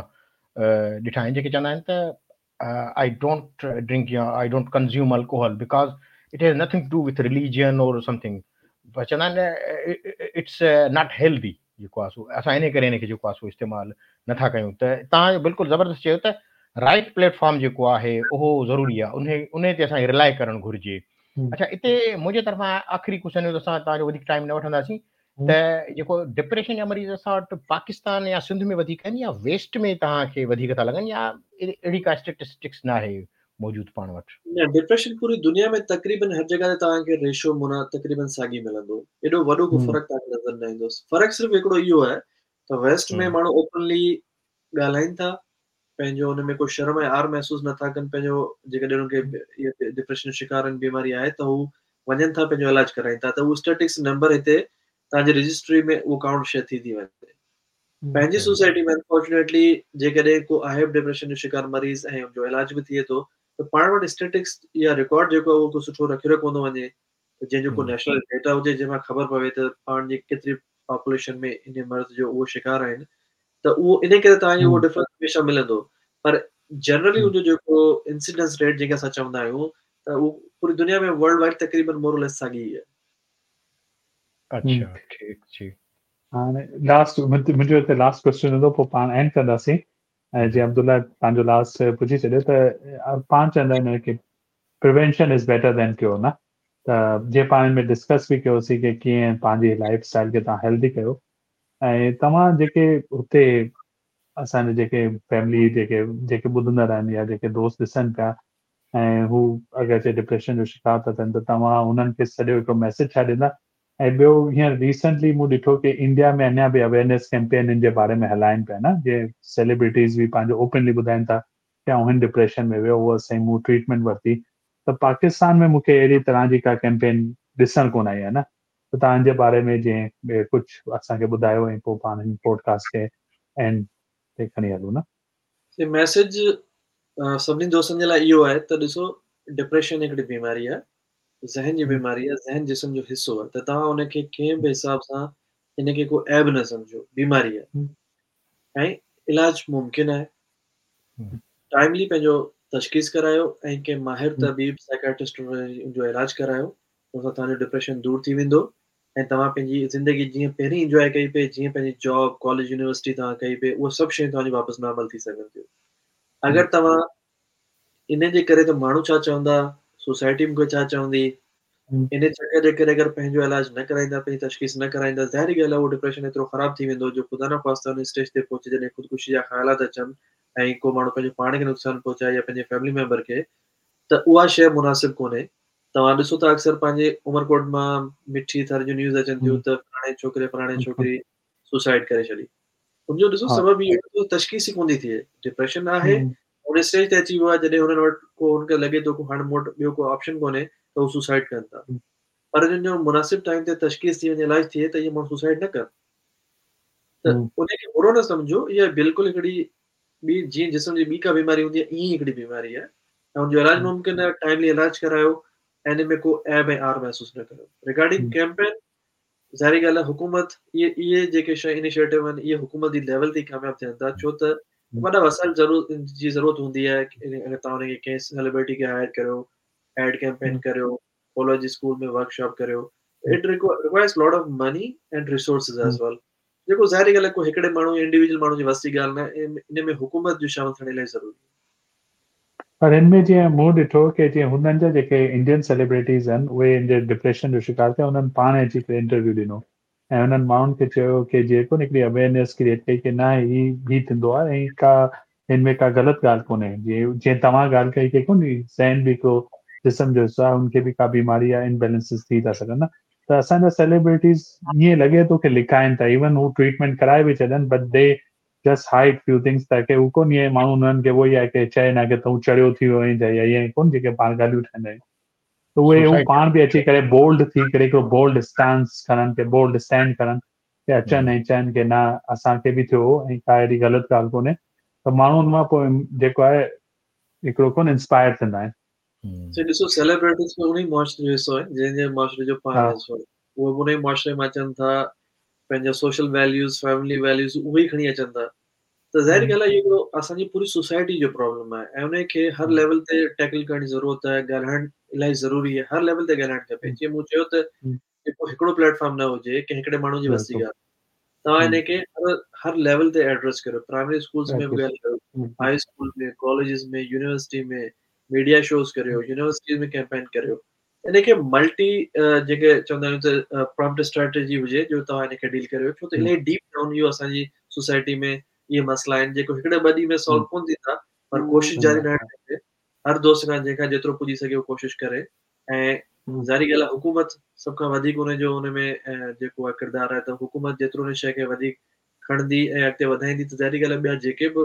Speaker 1: ڏٺا آهن جيڪي چوندا آهن ته I don't drink يا I don't consume alcohol because it has nothing to do with religion or something چوندا آهن it's not healthy جيڪو آهي سو اسان ان ڪري ان کي جيڪو آهي سو استعمال نٿا ڪيون ته توهان بلڪل زبردست چيو ته رائٽ پليٽ فارم جيڪو آهي اهو ضروري آهي ان ان تي اسان کي رلائي ڪرڻ گهرجي اڇا اتي منهنجي طرفان آخري ڪوشچن هيو ته اسان توهان جو وڌيڪ ٽائيم نه وٺنداسين ته جيڪو ڊپريشن جا مريض اسان وٽ پاڪستان يا سنڌ ۾ وڌيڪ آهن يا ويسٽ ۾ توهان کي وڌيڪ ٿا لڳن يا اهڙي ڪا اسٽيٽسٽڪس نه آهي موجود پاڻ وٽ؟
Speaker 2: نه ڊپريشن پوري دنيا ۾ تقريبن هر جڳهه تي توهان کي ريشو معنيٰ تقريبن ساڳي ملندو ايڏو وڏو ڪو فرق توهان کي نظر نه ايندو فرق صرف هڪڙو اهو آهي ته ويسٽ ۾ ماڻهو اوپنلي ڳالهائين ٿا پنهنجو ان ۾ ڪو شرم ۽ عار محسوس نٿا ڪن پنهنجو جيڪڏهن انهن کي اها ڊپريشن جو شڪار آهن بيماري آهي ته هو وڃن ٿا پنهنجو علاج ڪرائين ٿا ته اهو اسٽيٽسٽڪس نمبر هتي توهان جي رجسٽري ۾ اهو ڪائونٽ شيء ٿي ٿي وڃي. پنهنجي سوسائٽي ۾ انفارچونيٽلي جيڪڏهن ڪو آهي به ڊپريشن جو شڪار مريض ۽ ان جو علاج به ٿئي ٿو ته پاڻ وٽ اسٽيٽسٽڪس يا رڪارڊ جيڪو آهي اهو ڪو سٺو رکيو ڪونه ٿو وڃي ته جنهن جو ڪو نيشنل ڊيٽا هجي جنهن مان خبر پوي ته پاڻ جي ڪيتري پاپوليشن ۾ ان مرض جو اهو شڪار آهن ته اهو ان ڪري توهان کي اهو ڊفرنس هميشه ملندو پر جنرلي ان جو جيڪو انسيڊنس ريٽ جنهن کي اسان چوندا آهيون ته اهو پوري دنيا ۾ ورلڊ وائيڊ تقريبن مور اور ليس ساڳي ئي آهي.
Speaker 1: اڇا ٺيڪ جي.
Speaker 3: هاڻي لاسٽ منهنجو هتي لاسٽ ڪويسچن هوندو پوء پاڻ اينڊ ڪنداسين ۽ جي عبدالله پنهنجو لاسٽ پڇي ڇڏيو ته پاڻ چوندا آهن ڪي prevention is better than cure نه ته جي پاڻ ۾ ڊسڪس به ڪيوسين ڪي ڪيئن پنهنجي لائف اسٽائل کي توهان هيلدي ڪيو ۽ توهان جيڪي هتي اسان جي جيڪي فيملي جيڪي جيڪي ٻڌندڙ آهن يا جيڪي دوست ڏسن پيا ۽ هو اگر چي ڊپريشن جو شڪار ٿا ٿين ته توهان انهن کي سڄو هڪڙو ميسج ڇا ڏيندا ۽ ٻيو هينئر ريسنٽلي مون ڏٺو ڪي انڊيا ۾ اڃا به اويئرنيس ڪيمپين ان جي باري ۾ هلائن پيا نه جي سيليبرٽيز به پنهنجو اوپنلي ٻڌائن ٿا ڪي آئون هن ڊپريشن ۾ ويو هوس ۽ مون ٽريٽمينٽ ورتي ته پاڪستان ۾ مون کي اهڙي طرح جي ڪا ڪيمپين ڏسڻ ڪونه آئي آهي نه ته توهان ان جي باري ۾ جي ڪجهه اسان کي ٻڌايو ۽ پوء پاڻ هن پوڊڪاسٽ کي اينڊ تي کڻي هلون نه.
Speaker 2: سي ميسج سڀني دوستن جي لاء اهو آهي ته ڏسو ڊپريشن هڪڙي بيماري آهي ذهن جي بيماري آهي ذهن جسم جو حصو آهي ته توهان ان کي ڪنهن به حساب سان ان کي ڪو عيب نه سمجهو بيماري آهي ۽ علاج ممڪن آهي ٽائملي پنهنجو تشخيص ڪرايو ۽ ڪنهن ماهر طبيب سائيڪاٽرسٽ ان جو علاج ڪرايو ان سان توهان جو ڊپريشن دور ٿي ويندو ۽ توهان پنهنجي زندگي جيئن پهرين انجواء ڪئي پئي جيئن پنهنجي جاب ڪاليج يونيورسٽي توهان ڪئي پئي اهي سڀ شيون توهان جي واپس نارمل ٿي سگهن ٿيون اگر توهان ان جي ڪري ته ماڻهو ڇا چوندا، سوسائٽي مون کي ڇا چوندي، ان چڪر جي ڪري اگر پنهنجو علاج نه ڪرائيندا، پنهنجي تشخيص نه ڪرائيندا، ظاهري ڳالهه آهي اهو ڊپريشن ايترو خراب ٿي ويندو جو خدا نخواسته ان اسٽيج تي پهچي جڏهن خودڪشي جا خيالات اچن ۽ ڪو ماڻهو پنهنجو پاڻ کي نقصان پهچائي يا پنهنجي فيملي ميمبر کي ته اها شيء مناسب ڪونهي. توهان ڏسو ٿا اڪثر پنهنجي عمرڪوٽ مان مٺي ٿر جون نيوز اچن ٿيون ته فلاڻي ڇوڪري فلاڻي ڇوڪري سوسائيڊ ڪري ڇڏي. ان جو ڏسو سبب اهو آهي تشخيص ئي ڪونه ٿي ٿئي. ڊپريشن آهي ان اسٽيج تي اچي ويو آهي جڏهن هنن وٽ ڪو هن کي لڳي ٿو ڪو هاڻي مون وٽ ٻيو ڪو آپشن ڪونهي ته هو سوسائيڊ ڪن ٿا. پر جن جو مناسب ٽائيم تي تشخيص ٿي وڃي علاج ٿئي ته اهي ماڻهو سوسائيڊ نه ڪن. ته ان کي برو نه سمجهو اها بلڪل هڪڙي ٻي جيئن جسم جي ٻي ڪا بيماري هوندي آهي ائين ئي هڪڙي بيماري آهي ۽ ان جو علاج ممڪن آهي ٽائملي علاج ڪرايو ۽ ان ۾ ڪو عيب ۽ عار محسوس نه ڪريو. ريگارڊنگ ڪيمپين ظاهري ڳالهه آهي حڪومت اهي اهي جيڪي شيء انيشيٽو آهن اهي حڪومت جي ليول تي ڪامياب ٿين ٿا ڇو ته وڏا وسائل ضرور جي ضرورت هوندي آهي اگر توهان ان کي ڪنهن سيلبرٽي کي هائر ڪريو ايڊ ڪيمپين ڪريو ڪاليج اسڪول ۾ ورڪشاپ ڪريو it requires lot of money and resources as well جيڪو ظاهري ڳالهه آهي ڪو هڪڙي ماڻهو انڊيويجول ماڻهو جي وس جي ڳالهه نه ان ۾ حڪومت جو شامل ٿيڻ الاهي ضروري آهي.
Speaker 3: پر هن ۾ جيئن مون ڏٺو ڪي جيئن هنن جا جيڪي انڊين سيليبريٽيز آهن اهي ان جي ڊپريشن جو شڪار ٿيا انهن پاڻ اچي ڪري انٽرويو ڏنو ۽ انهن ماڻهن کي چيو ڪي جيڪو هڪڙي اويئرنيس ڪريئيٽ ڪئي ڪي نه هي هي ٿيندو آهي ۽ ڪا هن ۾ ڪا غلط ڳالهه ڪونهي جيئن جيئن توهان ڳالهه ڪئي ڪي ڪونهي ذهن به هڪڙو جسم جو حصو آهي ان کي به ڪا بيماري يا امبيلنسز ٿي ٿا سگهن نه ته اسان جا سيليبريٽيز ائين لڳي ٿو ڪي لڪائن ٿا ايون هو ٽريٽمينٽ ڪرائي به ڇڏن but they just hide few things تاڪه هو ڪون ائين ماڻهو انهن کي اهو ئي آهي ڪي چئي نه ڪي تون چريو ٿي ويو آهين يا ائين ڪون جيڪي پاڻ ڳالهيون ٺاهيندا آهيون ته اهي هو پاڻ به اچي ڪري بولڊ ٿي ڪري هڪڙو بولڊ اسٽانس کڻن ڪي بولڊ اسٽينڊ کڻن ڪي اچن ۽ چئن ڪي نه اسان کي به ٿيو هو ۽ ڪا اهڙي غلط ڳالهه ڪونهي ته ماڻهو ان مان پوء جيڪو آهي هڪڙو ڪون انسپائر ٿيندا آهن.
Speaker 2: سي ڏسو سيليبرٽيز به انهي معاشري جو حصو آهن جنهن جي معاشري جو پاڻ حصو آهن اهي به انهي معاشري مان اچن ٿا پنهنجا سوشل ويليوز فيملي ويليوز اهي ئي کڻي اچن ٿا ته ظاهر ڳالهه آهي اهو اسان جي پوري سوسائٽي جو پرابلم آهي ۽ ان کي هر ليول تي ٽيڪل ڪرڻ جي ضرورت آهي ڳالهائڻ الاهي ضروري آهي هر ليول تي ڳالهائڻ کپي جيئن مون چيو ته جيڪو هڪڙو پليٽ فارم نه هجي ڪنهن هڪڙي ماڻهو جي وس جي ڳالهه توهان ان کي هر هر ليول تي ايڊريس ڪريو پرائمري اسڪولز ۾ به ڳالهايو high school ۾ colleges ۾ university ۾ media shows ڪريو يونيورسٽيز ۾ ڪيمپين ڪريو ان کي ملٽي جيڪي چوندا آهيون ته پرامپٽ اسٽريٽجي هجي جو توهان ان کي ڊيل ڪريو ڇو ته الاهي ڊيپ ڊائون اهو اسان جي سوسائٽي ۾ اهي مسئلا آهن جيڪو هڪڙي ٻه ڏينهن ۾ سالو ڪون ٿيندا پر ڪوشش جاري رهڻ کپي هر دوست کان جنهن کان جيترو پڄي سگهي اهو ڪوشش ڪري ۽ ظاهري ڳالهه آهي حڪومت سڀ کان وڌيڪ ان جو ان ۾ جيڪو آهي ڪردار آهي ته حڪومت جيترو ان شيء کي وڌيڪ کڻندي ۽ اڳتي وڌائيندي ته ظاهري ڳالهه آهي ٻيا جيڪي به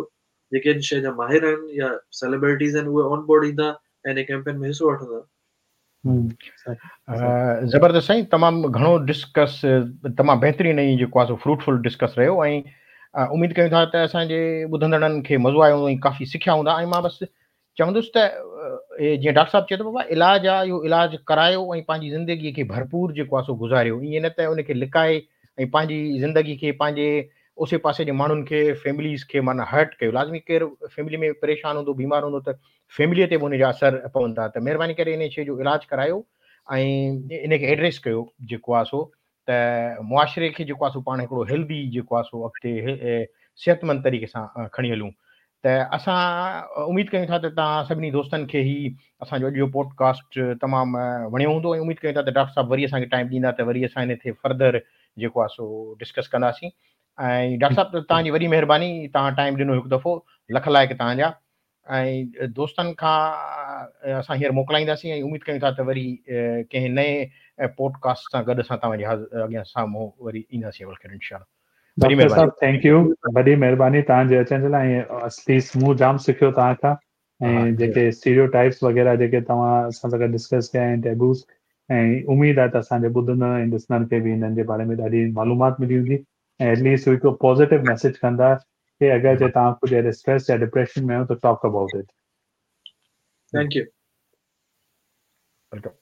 Speaker 2: جيڪي ان شيء جا ماهر آهن يا سيليبرٽيز آهن اهي آن بورڊ ايندا ۽ ان ڪيمپين ۾ حصو وٺندا.
Speaker 1: زبردست سائين تمام گهڻو ڊسڪس تمام بهترين ۽ جيڪو آهي سو فروٽفل ڊسڪس رهيو ۽ اميد ڪيون ٿا ته اسان جي ٻڌندڙن کي مزو آيو هوندو ۽ ڪافي سکيا هوندا ۽ مان بس چوندس ته جيئن ڊاڪٽر صاحب چيو ته بابا علاج آ اهو علاج ڪرايو ۽ پنهنجي زندگي کي ڀرپور جيڪو آ سو گذاريو ائين نه ته ان کي لڪائي ۽ پنهنجي زندگي کي پنهنجي اوسي پاسي جي ماڻهن کي فيمليز کي معنيٰ هرٽ ڪيو لازمي ڪير فيملي ۾ پريشان هوندو بيمار هوندو ته فيملي تي به ان جا اثر پون ٿا ته مهرباني ڪري ان شيء جو علاج ڪرايو ۽ ان کي ايڊريس ڪيو جيڪو آ سو ته معاشري کي جيڪو آ سو پاڻ هڪڙو هيلدي جيڪو آ سو اڳتي صحتمند طريقي سان کڻي هلون ته اسان اميد ڪيون ٿا ته توهان سڀني دوستن کي هي اسان جو اڄ جو پوڊڪاسٽ تمام وڻيو هوندو ۽ اميد ڪيون ٿا ته ڊاڪٽر صاحب وري اسان کي ٽائيم ڏيندا ته وري اسان ان تي فردر جيڪو آهي سو ڊسڪس ڪنداسين ۽ ڊاڪٽر صاحب توهان جي وڏي مهرباني توهان ٽائيم ڏنو هڪ دفعو لک لائق توهان جا ۽ دوستن کان اسان هينئر موڪلائينداسين ۽ اميد ڪيون ٿا ته وري ڪنهن نئين پوڊڪاسٽ سان گڏ اسان توهان جي اڳيان سامهون وري اينداسين بلخير انشاء الله.
Speaker 3: وڏي ڊاڪٽر صاحب thank you وڏي مهرباني توهان جي اچڻ جي لاء ۽ ايٽ ليسٽ مون جام سکيو توهان کان ۽ جيڪي اسٽيريو ٽائپس وغيره جيڪي توهان اسان سان گڏ ڊسڪس ڪيا ۽ ٽيبوز ۽ اميد آهي ته اسان جي ٻڌندڙ ۽ ڏسندڙ کي به انهن جي باري ۾ ڏاڍي معلومات ملي هوندي ۽ ايٽ ليسٽ هڪ پازيٽو ميسيج ڪندا ڪي اگر جي توهان ڪجهه اهڙي اسٽريس يا ڊپريشن ۾ آهيو ته talk about it.
Speaker 2: Thank you.
Speaker 1: Welcome.